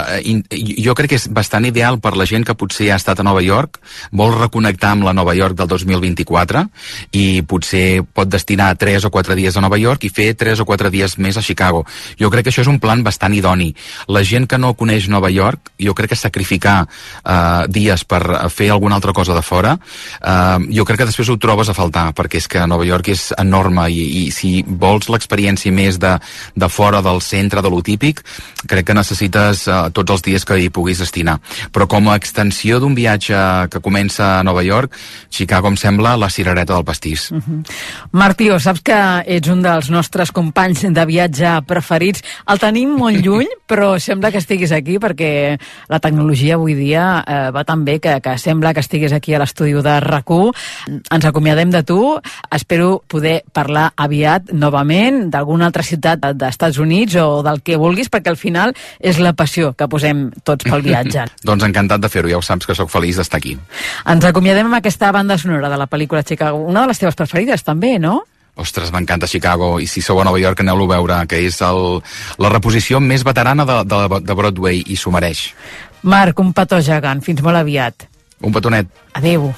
jo crec que és bastant ideal per la gent que potser ha estat a Nova York, vol reconnectar amb la Nova York del dos mil vint-i-quatre i potser pot destinar tres o quatre dies a Nova York i fer tres o quatre dies més a Chicago. Jo crec que això és un plan bastant idoni. La gent que no coneix Nova York, jo crec que sacrificar eh, dies per fer alguna altra cosa de fora, eh, jo crec que després ho trobes a faltar, perquè és que Nova York és enorme i, i si vols l'experiència més de, de fora del centre, de lo típic, crec que necessites eh, tots els dies que hi puguis destinar. Però com a extensió d'un viatge que comença a Nova York, Chicago em sembla la cirereta del pastís. Uh-huh. Martí, saps que ets un dels nostres companys de viatge preferits. El tenim molt lluny, però sembla que estiguis aquí perquè la tecnologia avui dia eh, va tan bé que, que sembla que estiguis aquí a l'estudi de RAC u. Ens acomiadem de tu. Espero poder parlar aviat novament d'alguna altra ciutat d'Estats Units o del que vulguis, perquè al final és la passió que posem tots pel viatge. Doncs encantat de fer-ho, ja ho saps que sóc feliç d'estar aquí. Ens acomiadem amb aquesta banda sonora de la pel·lícula Chicago, una de les teves preferides també, no? Ostres, m'encanta Chicago, i si sou a Nova York aneu-lo a veure, que és el, la reposició més veterana de, de, de Broadway, i s'ho mereix. Marc, un petó gegant, fins molt aviat. Un petonet. Adéu.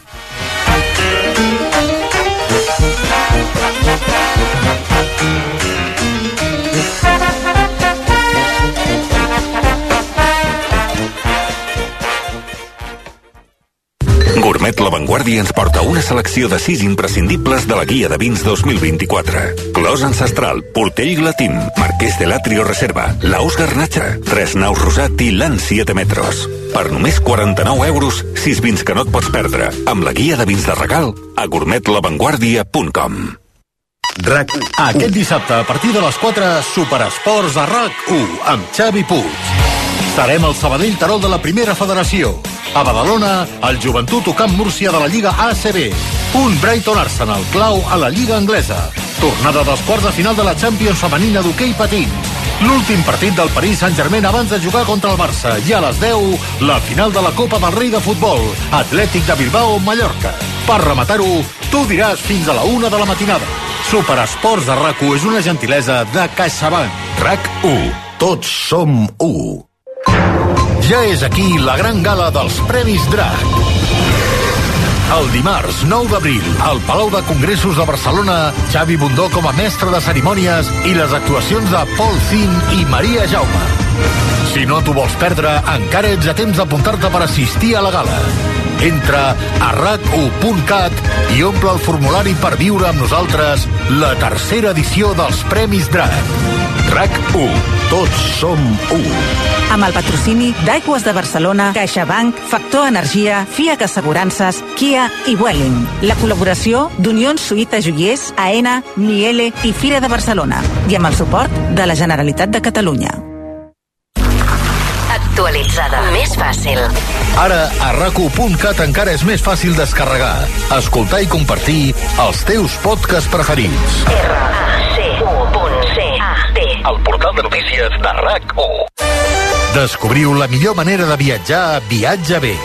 Gourmet La Vanguardia ens porta una selecció de sis imprescindibles de la guia de vins dos mil vint-i-quatre. Clos Ancestral, Portell Glatín, Marquès de l'Atrio Reserva, Laos Garnacha, Tres Naus Rosat i l'An siete metros. Per només quaranta-nou euros, sis vins que no et pots perdre, amb la guia de vins de regal a gourmet la vanguardia punt com. RAC u. Aquest dissabte, a partir de les quatre, Superesports a RAC u, amb Xavi Puig. Serem al Sabadell Terol de la Primera Federació. A Badalona, el Joventut o Camp Múrcia de la Lliga A C B. Un Brighton Arsenal clau a la Lliga Anglesa. Tornada dels quarts de final de la Champions femenina d'hoquei patins. L'últim partit del Paris Saint-Germain abans de jugar contra el Barça. I a les deu, la final de la Copa del Rei de Futbol. Atlètic de Bilbao-Mallorca. Per rematar-ho, tu diràs fins a la una de la matinada. Superesports de RAC u és una gentilesa de CaixaBank. RAC u. Tots som u. Ja és aquí la gran gala dels Premis Drac. El dimarts nou d'abril, al Palau de Congressos de Barcelona, Xavi Bundó com a mestre de cerimònies i les actuacions de Paul Zin i Maria Jaume. Si no t'ho vols perdre, encara ets a temps d'apuntar-te per assistir a la gala. Entra a rac u punt cat i omple el formulari per viure amb nosaltres la tercera edició dels Premis Drac. RAC u. Tots som u. Amb el patrocini d'Aigües de Barcelona, CaixaBank, Factor Energia, FIAC Assegurances, Kia i Vueling. La col·laboració d'Unió Suïta Joiers, AENA, Miele i Fira de Barcelona. I amb el suport de la Generalitat de Catalunya. Actualitzada. Més fàcil. Ara, a rac u punt cat encara és més fàcil descarregar, escoltar i compartir els teus podcasts preferits. R A C U punt C A T. El portal de notícies de RAC u. Descobriu la millor manera de viatjar a Viatge Bé.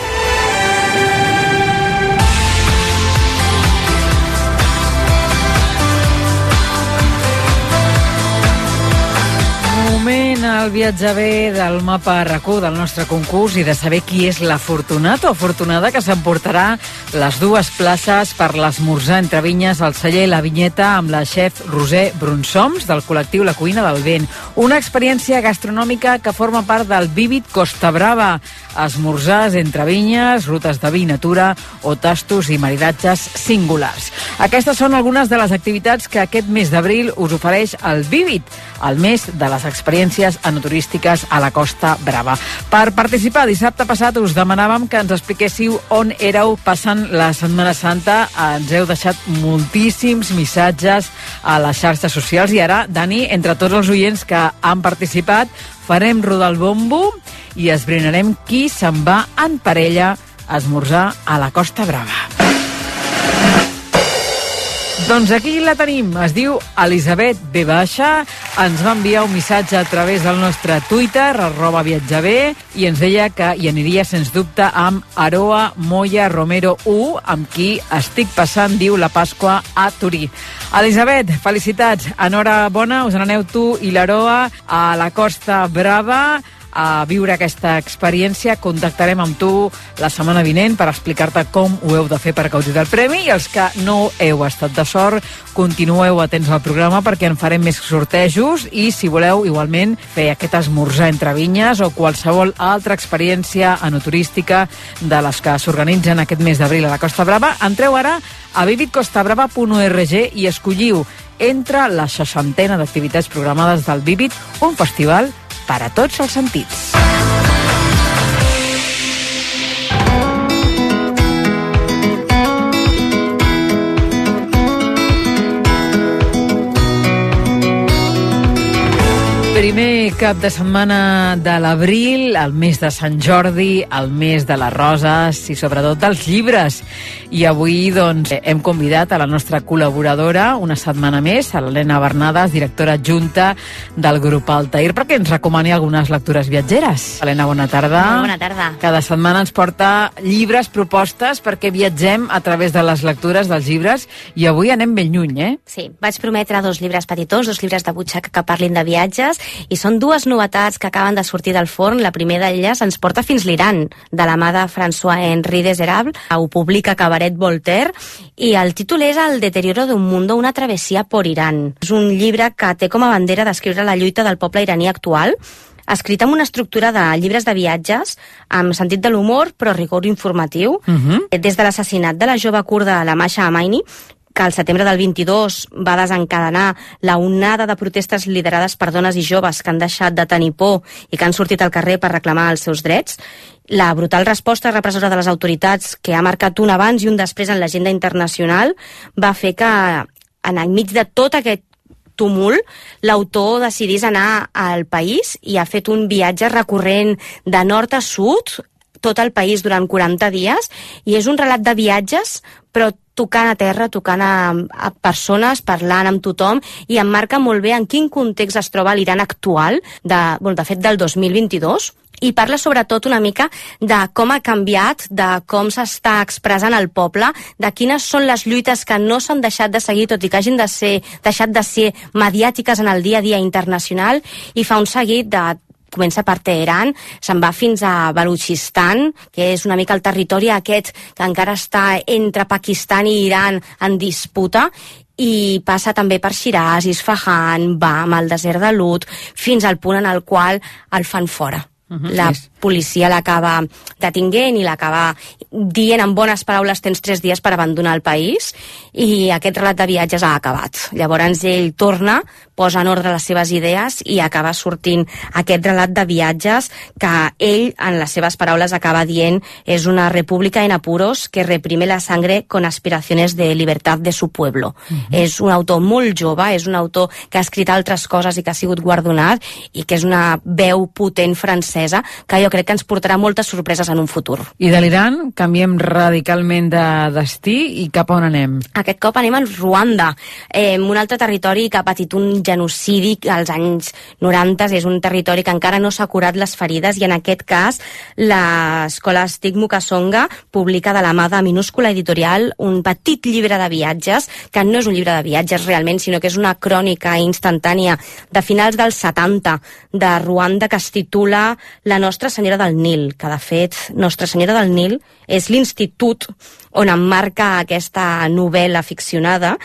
Moment al viatge bé del mapa RAC u del nostre concurs i de saber qui és l'afortunat o afortunada que s'emportarà les dues places per l'esmorzar entre vinyes al celler La Vinyeta amb la xef Roser Brunsoms del col·lectiu La Cuina del Vent. Una experiència gastronòmica que forma part del Vívid Costa Brava. Esmorzars entre vinyes, rutes de vi natura o tastos i maridatges singulars. Aquestes són algunes de les activitats que aquest mes d'abril us ofereix el Vívid, el mes de les experiències enoturístiques a la Costa Brava. Per participar, dissabte passat us demanàvem que ens expliquéssiu on éreu passant la Setmana Santa. Ens heu deixat moltíssims missatges a les xarxes socials i ara, Dani, entre tots els oients que han participat, farem rodar el bombo i esbrinarem qui se'n va en parella a esmorzar a la Costa Brava. Doncs aquí la tenim, es diu Elisabet B baixa, ens va enviar un missatge a través del nostre Twitter, arroba viatjaber, i ens deia que hi aniria sens dubte amb Aroa Moya Romero u, amb qui estic passant, diu, la Pasqua a Turí. Elisabet, felicitats, enhorabona, us n'aneu tu i l'Aroa a la Costa Brava a viure aquesta experiència. Contactarem amb tu la setmana vinent per explicar-te com ho heu de fer per gaudir del premi, i els que no heu estat de sort, continueu atents al programa perquè en farem més sortejos, i si voleu igualment fer aquest esmorzar entre vinyes o qualsevol altra experiència enoturística de les que s'organitzen aquest mes d'abril a la Costa Brava, entreu ara a vivid costa brava punt org i escolliu entre la seixantena d'activitats programades del Vivid, un festival per a tots els sentits. Primer cap de setmana de l'abril, el mes de Sant Jordi, el mes de les roses i sobretot dels llibres. I avui doncs, hem convidat a la nostra col·laboradora una setmana més, a l'Helena Bernades, directora adjunta del grup Altair, perquè ens recomani algunes lectures viatgeres. Helena, bona tarda. Molt bona tarda. Cada setmana ens porta llibres, propostes, perquè viatgem a través de les lectures dels llibres, i avui anem ben lluny, eh? Sí, vaig prometre dos llibres petitons, dos llibres de butxaca que parlin de viatges, i són dues novetats que acaben de sortir del forn. La primera d'elles ens porta fins l'Iran, de la mà de François-Henri Desérable. Ho publica Cabaret Voltaire, i el títol és El deterioro d'un mundo, una travessia por Irán. És un llibre que té com a bandera descriure la lluita del poble iraní actual, escrit amb una estructura de llibres de viatges, amb sentit de l'humor, però rigor informatiu. Uh-huh. Des de l'assassinat de la jove kurda la Masha Amini, que al setembre del vint-i-dos va desencadenar la onada de protestes liderades per dones i joves que han deixat de tenir por i que han sortit al carrer per reclamar els seus drets. La brutal resposta repressora de les autoritats, que ha marcat un abans i un després en l'agenda internacional, va fer que, en enmig de tot aquest tumult, l'autor decidís anar al país i ha fet un viatge recorrent de nord a sud, tot el país durant quaranta dies, i és un relat de viatges, però tocant a terra, tocant a, a persones, parlant amb tothom, i emmarca molt bé en quin context es troba l'Iran actual, de, bueno, de fet del dos mil vint-i-dos, i parla sobretot una mica de com ha canviat, de com s'està expressant el poble, de quines són les lluites que no s'han deixat de seguir, tot i que hagin de ser, deixat de ser mediàtiques en el dia a dia internacional, i fa un seguit de comença per Teheran, se'n va fins a Balutxistan, que és una mica el territori aquest que encara està entre Pakistan i Iran en disputa, i passa també per Shiraz, Isfahan, Bam, el desert de Lut, fins al punt en el qual el fan fora. Uh-huh. La policia l'acaba detinguent i l'acaba dient en bones paraules: tens tres dies per abandonar el país, i aquest relat de viatges ha acabat. Llavors ell torna, posa en ordre les seves idees i acaba sortint aquest relat de viatges que ell, en les seves paraules, acaba dient: és una república en apuros que reprime la sangre con aspiraciones de libertad de su pueblo. Uh-huh. És un autor molt jove, és un autor que ha escrit altres coses i que ha sigut guardonat, i que és una veu potent francesa que jo crec que ens portarà moltes sorpreses en un futur. I de l'Iran canviem radicalment de destí, i cap on anem? Aquest cop anem a Ruanda, eh, un altre territori que ha patit un genocidi als anys noranta, és un territori que encara no s'ha curat les ferides, i en aquest cas l'escola Stig Mukasonga publica de la mà de Minúscula Editorial un petit llibre de viatges, que no és un llibre de viatges realment, sinó que és una crònica instantània de finals dels setanta de Ruanda, que es titula La Nostra Senyora del Nil, que de fet Nostra Senyora del Nil és l'institut on emmarca aquesta novel·la ficcionada,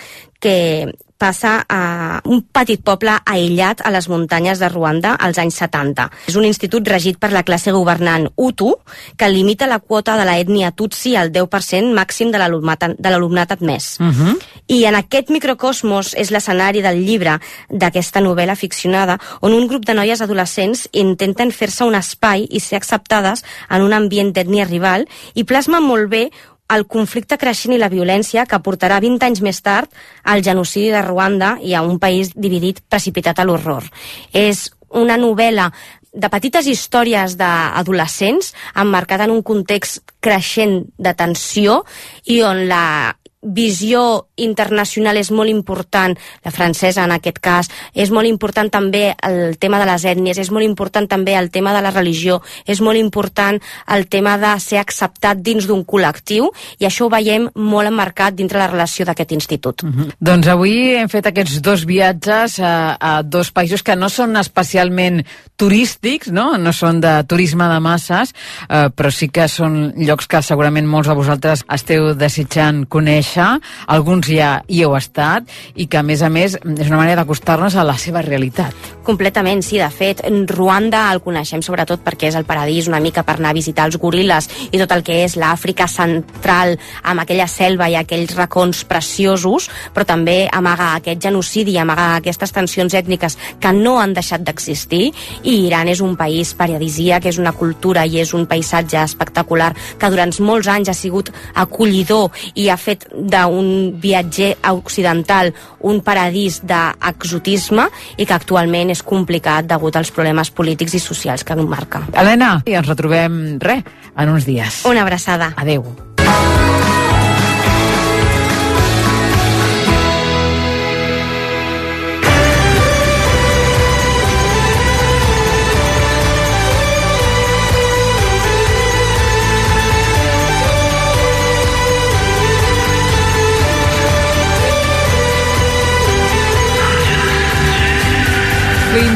que passa a un petit poble aïllat a les muntanyes de Ruanda als anys setanta. És un institut regit per la classe governant Hutu, que limita la quota de l'ètnia Tutsi al deu per cent màxim de l'alumnat admès. Uh-huh. I en aquest microcosmos és l'escenari del llibre d'aquesta novel·la ficcionada, on un grup de noies adolescents intenten fer-se un espai i ser acceptades en un ambient d'ètnia rival, i plasma molt bé el conflicte creixent i la violència que portarà vint anys més tard al genocidi de Ruanda i a un país dividit, precipitat a l'horror. És una novel·la de petites històries d'adolescents emmarcada en un context creixent de tensió, i on la visió internacional és molt important, la francesa en aquest cas, és molt important també el tema de les ètnies, és molt important també el tema de la religió, és molt important el tema de ser acceptat dins d'un col·lectiu, i això ho veiem molt emmarcat dintre la relació d'aquest institut. Mm-hmm. Doncs avui hem fet aquests dos viatges a, a dos països que no són especialment turístics, no, no són de turisme de masses, eh, però sí que són llocs que segurament molts de vosaltres esteu desitjant conèixer. Alguns ja hi heu estat i que, a més a més, és una manera d'acostar-nos a la seva realitat. Completament, sí. De fet, Ruanda el coneixem sobretot perquè és el paradís una mica per anar a visitar els goril·les i tot el que és l'Àfrica central, amb aquella selva i aquells racons preciosos, però també amaga aquest genocidi, amaga aquestes tensions ètniques que no han deixat d'existir, i Iran és un país paradisíac, és una cultura i és un paisatge espectacular que durant molts anys ha sigut acollidor i ha fet d'un viatger occidental un paradís d'exotisme i que actualment és complicat degut als problemes polítics i socials que marca. Helena, i ens retrobem, res, en uns dies. Una abraçada. Adeu.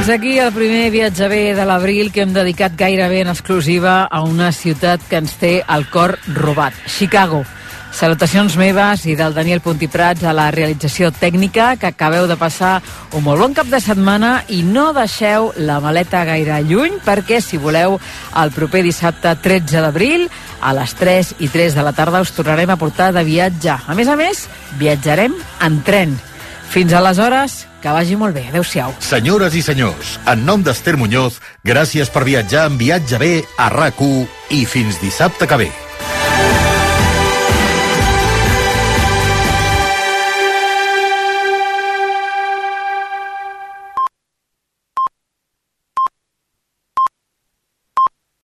Fins aquí el primer viatge bé de l'abril, que hem dedicat gairebé en exclusiva a una ciutat que ens té el cor robat, Chicago. Salutacions meves i del Daniel Puntiprats a la realització tècnica, que acabeu de passar un molt bon cap de setmana i no deixeu la maleta gaire lluny, perquè si voleu el proper dissabte tretze d'abril a les tres i tres de la tarda us tornarem a portar de viatge. A més a més, viatjarem en tren. Fins aleshores, que vagi molt bé. Adéu-siau. Senyores i senyors, en nom d'Ester Muñoz, gràcies per viatjar en Viatge Bé a RAC u i fins dissabte que ve.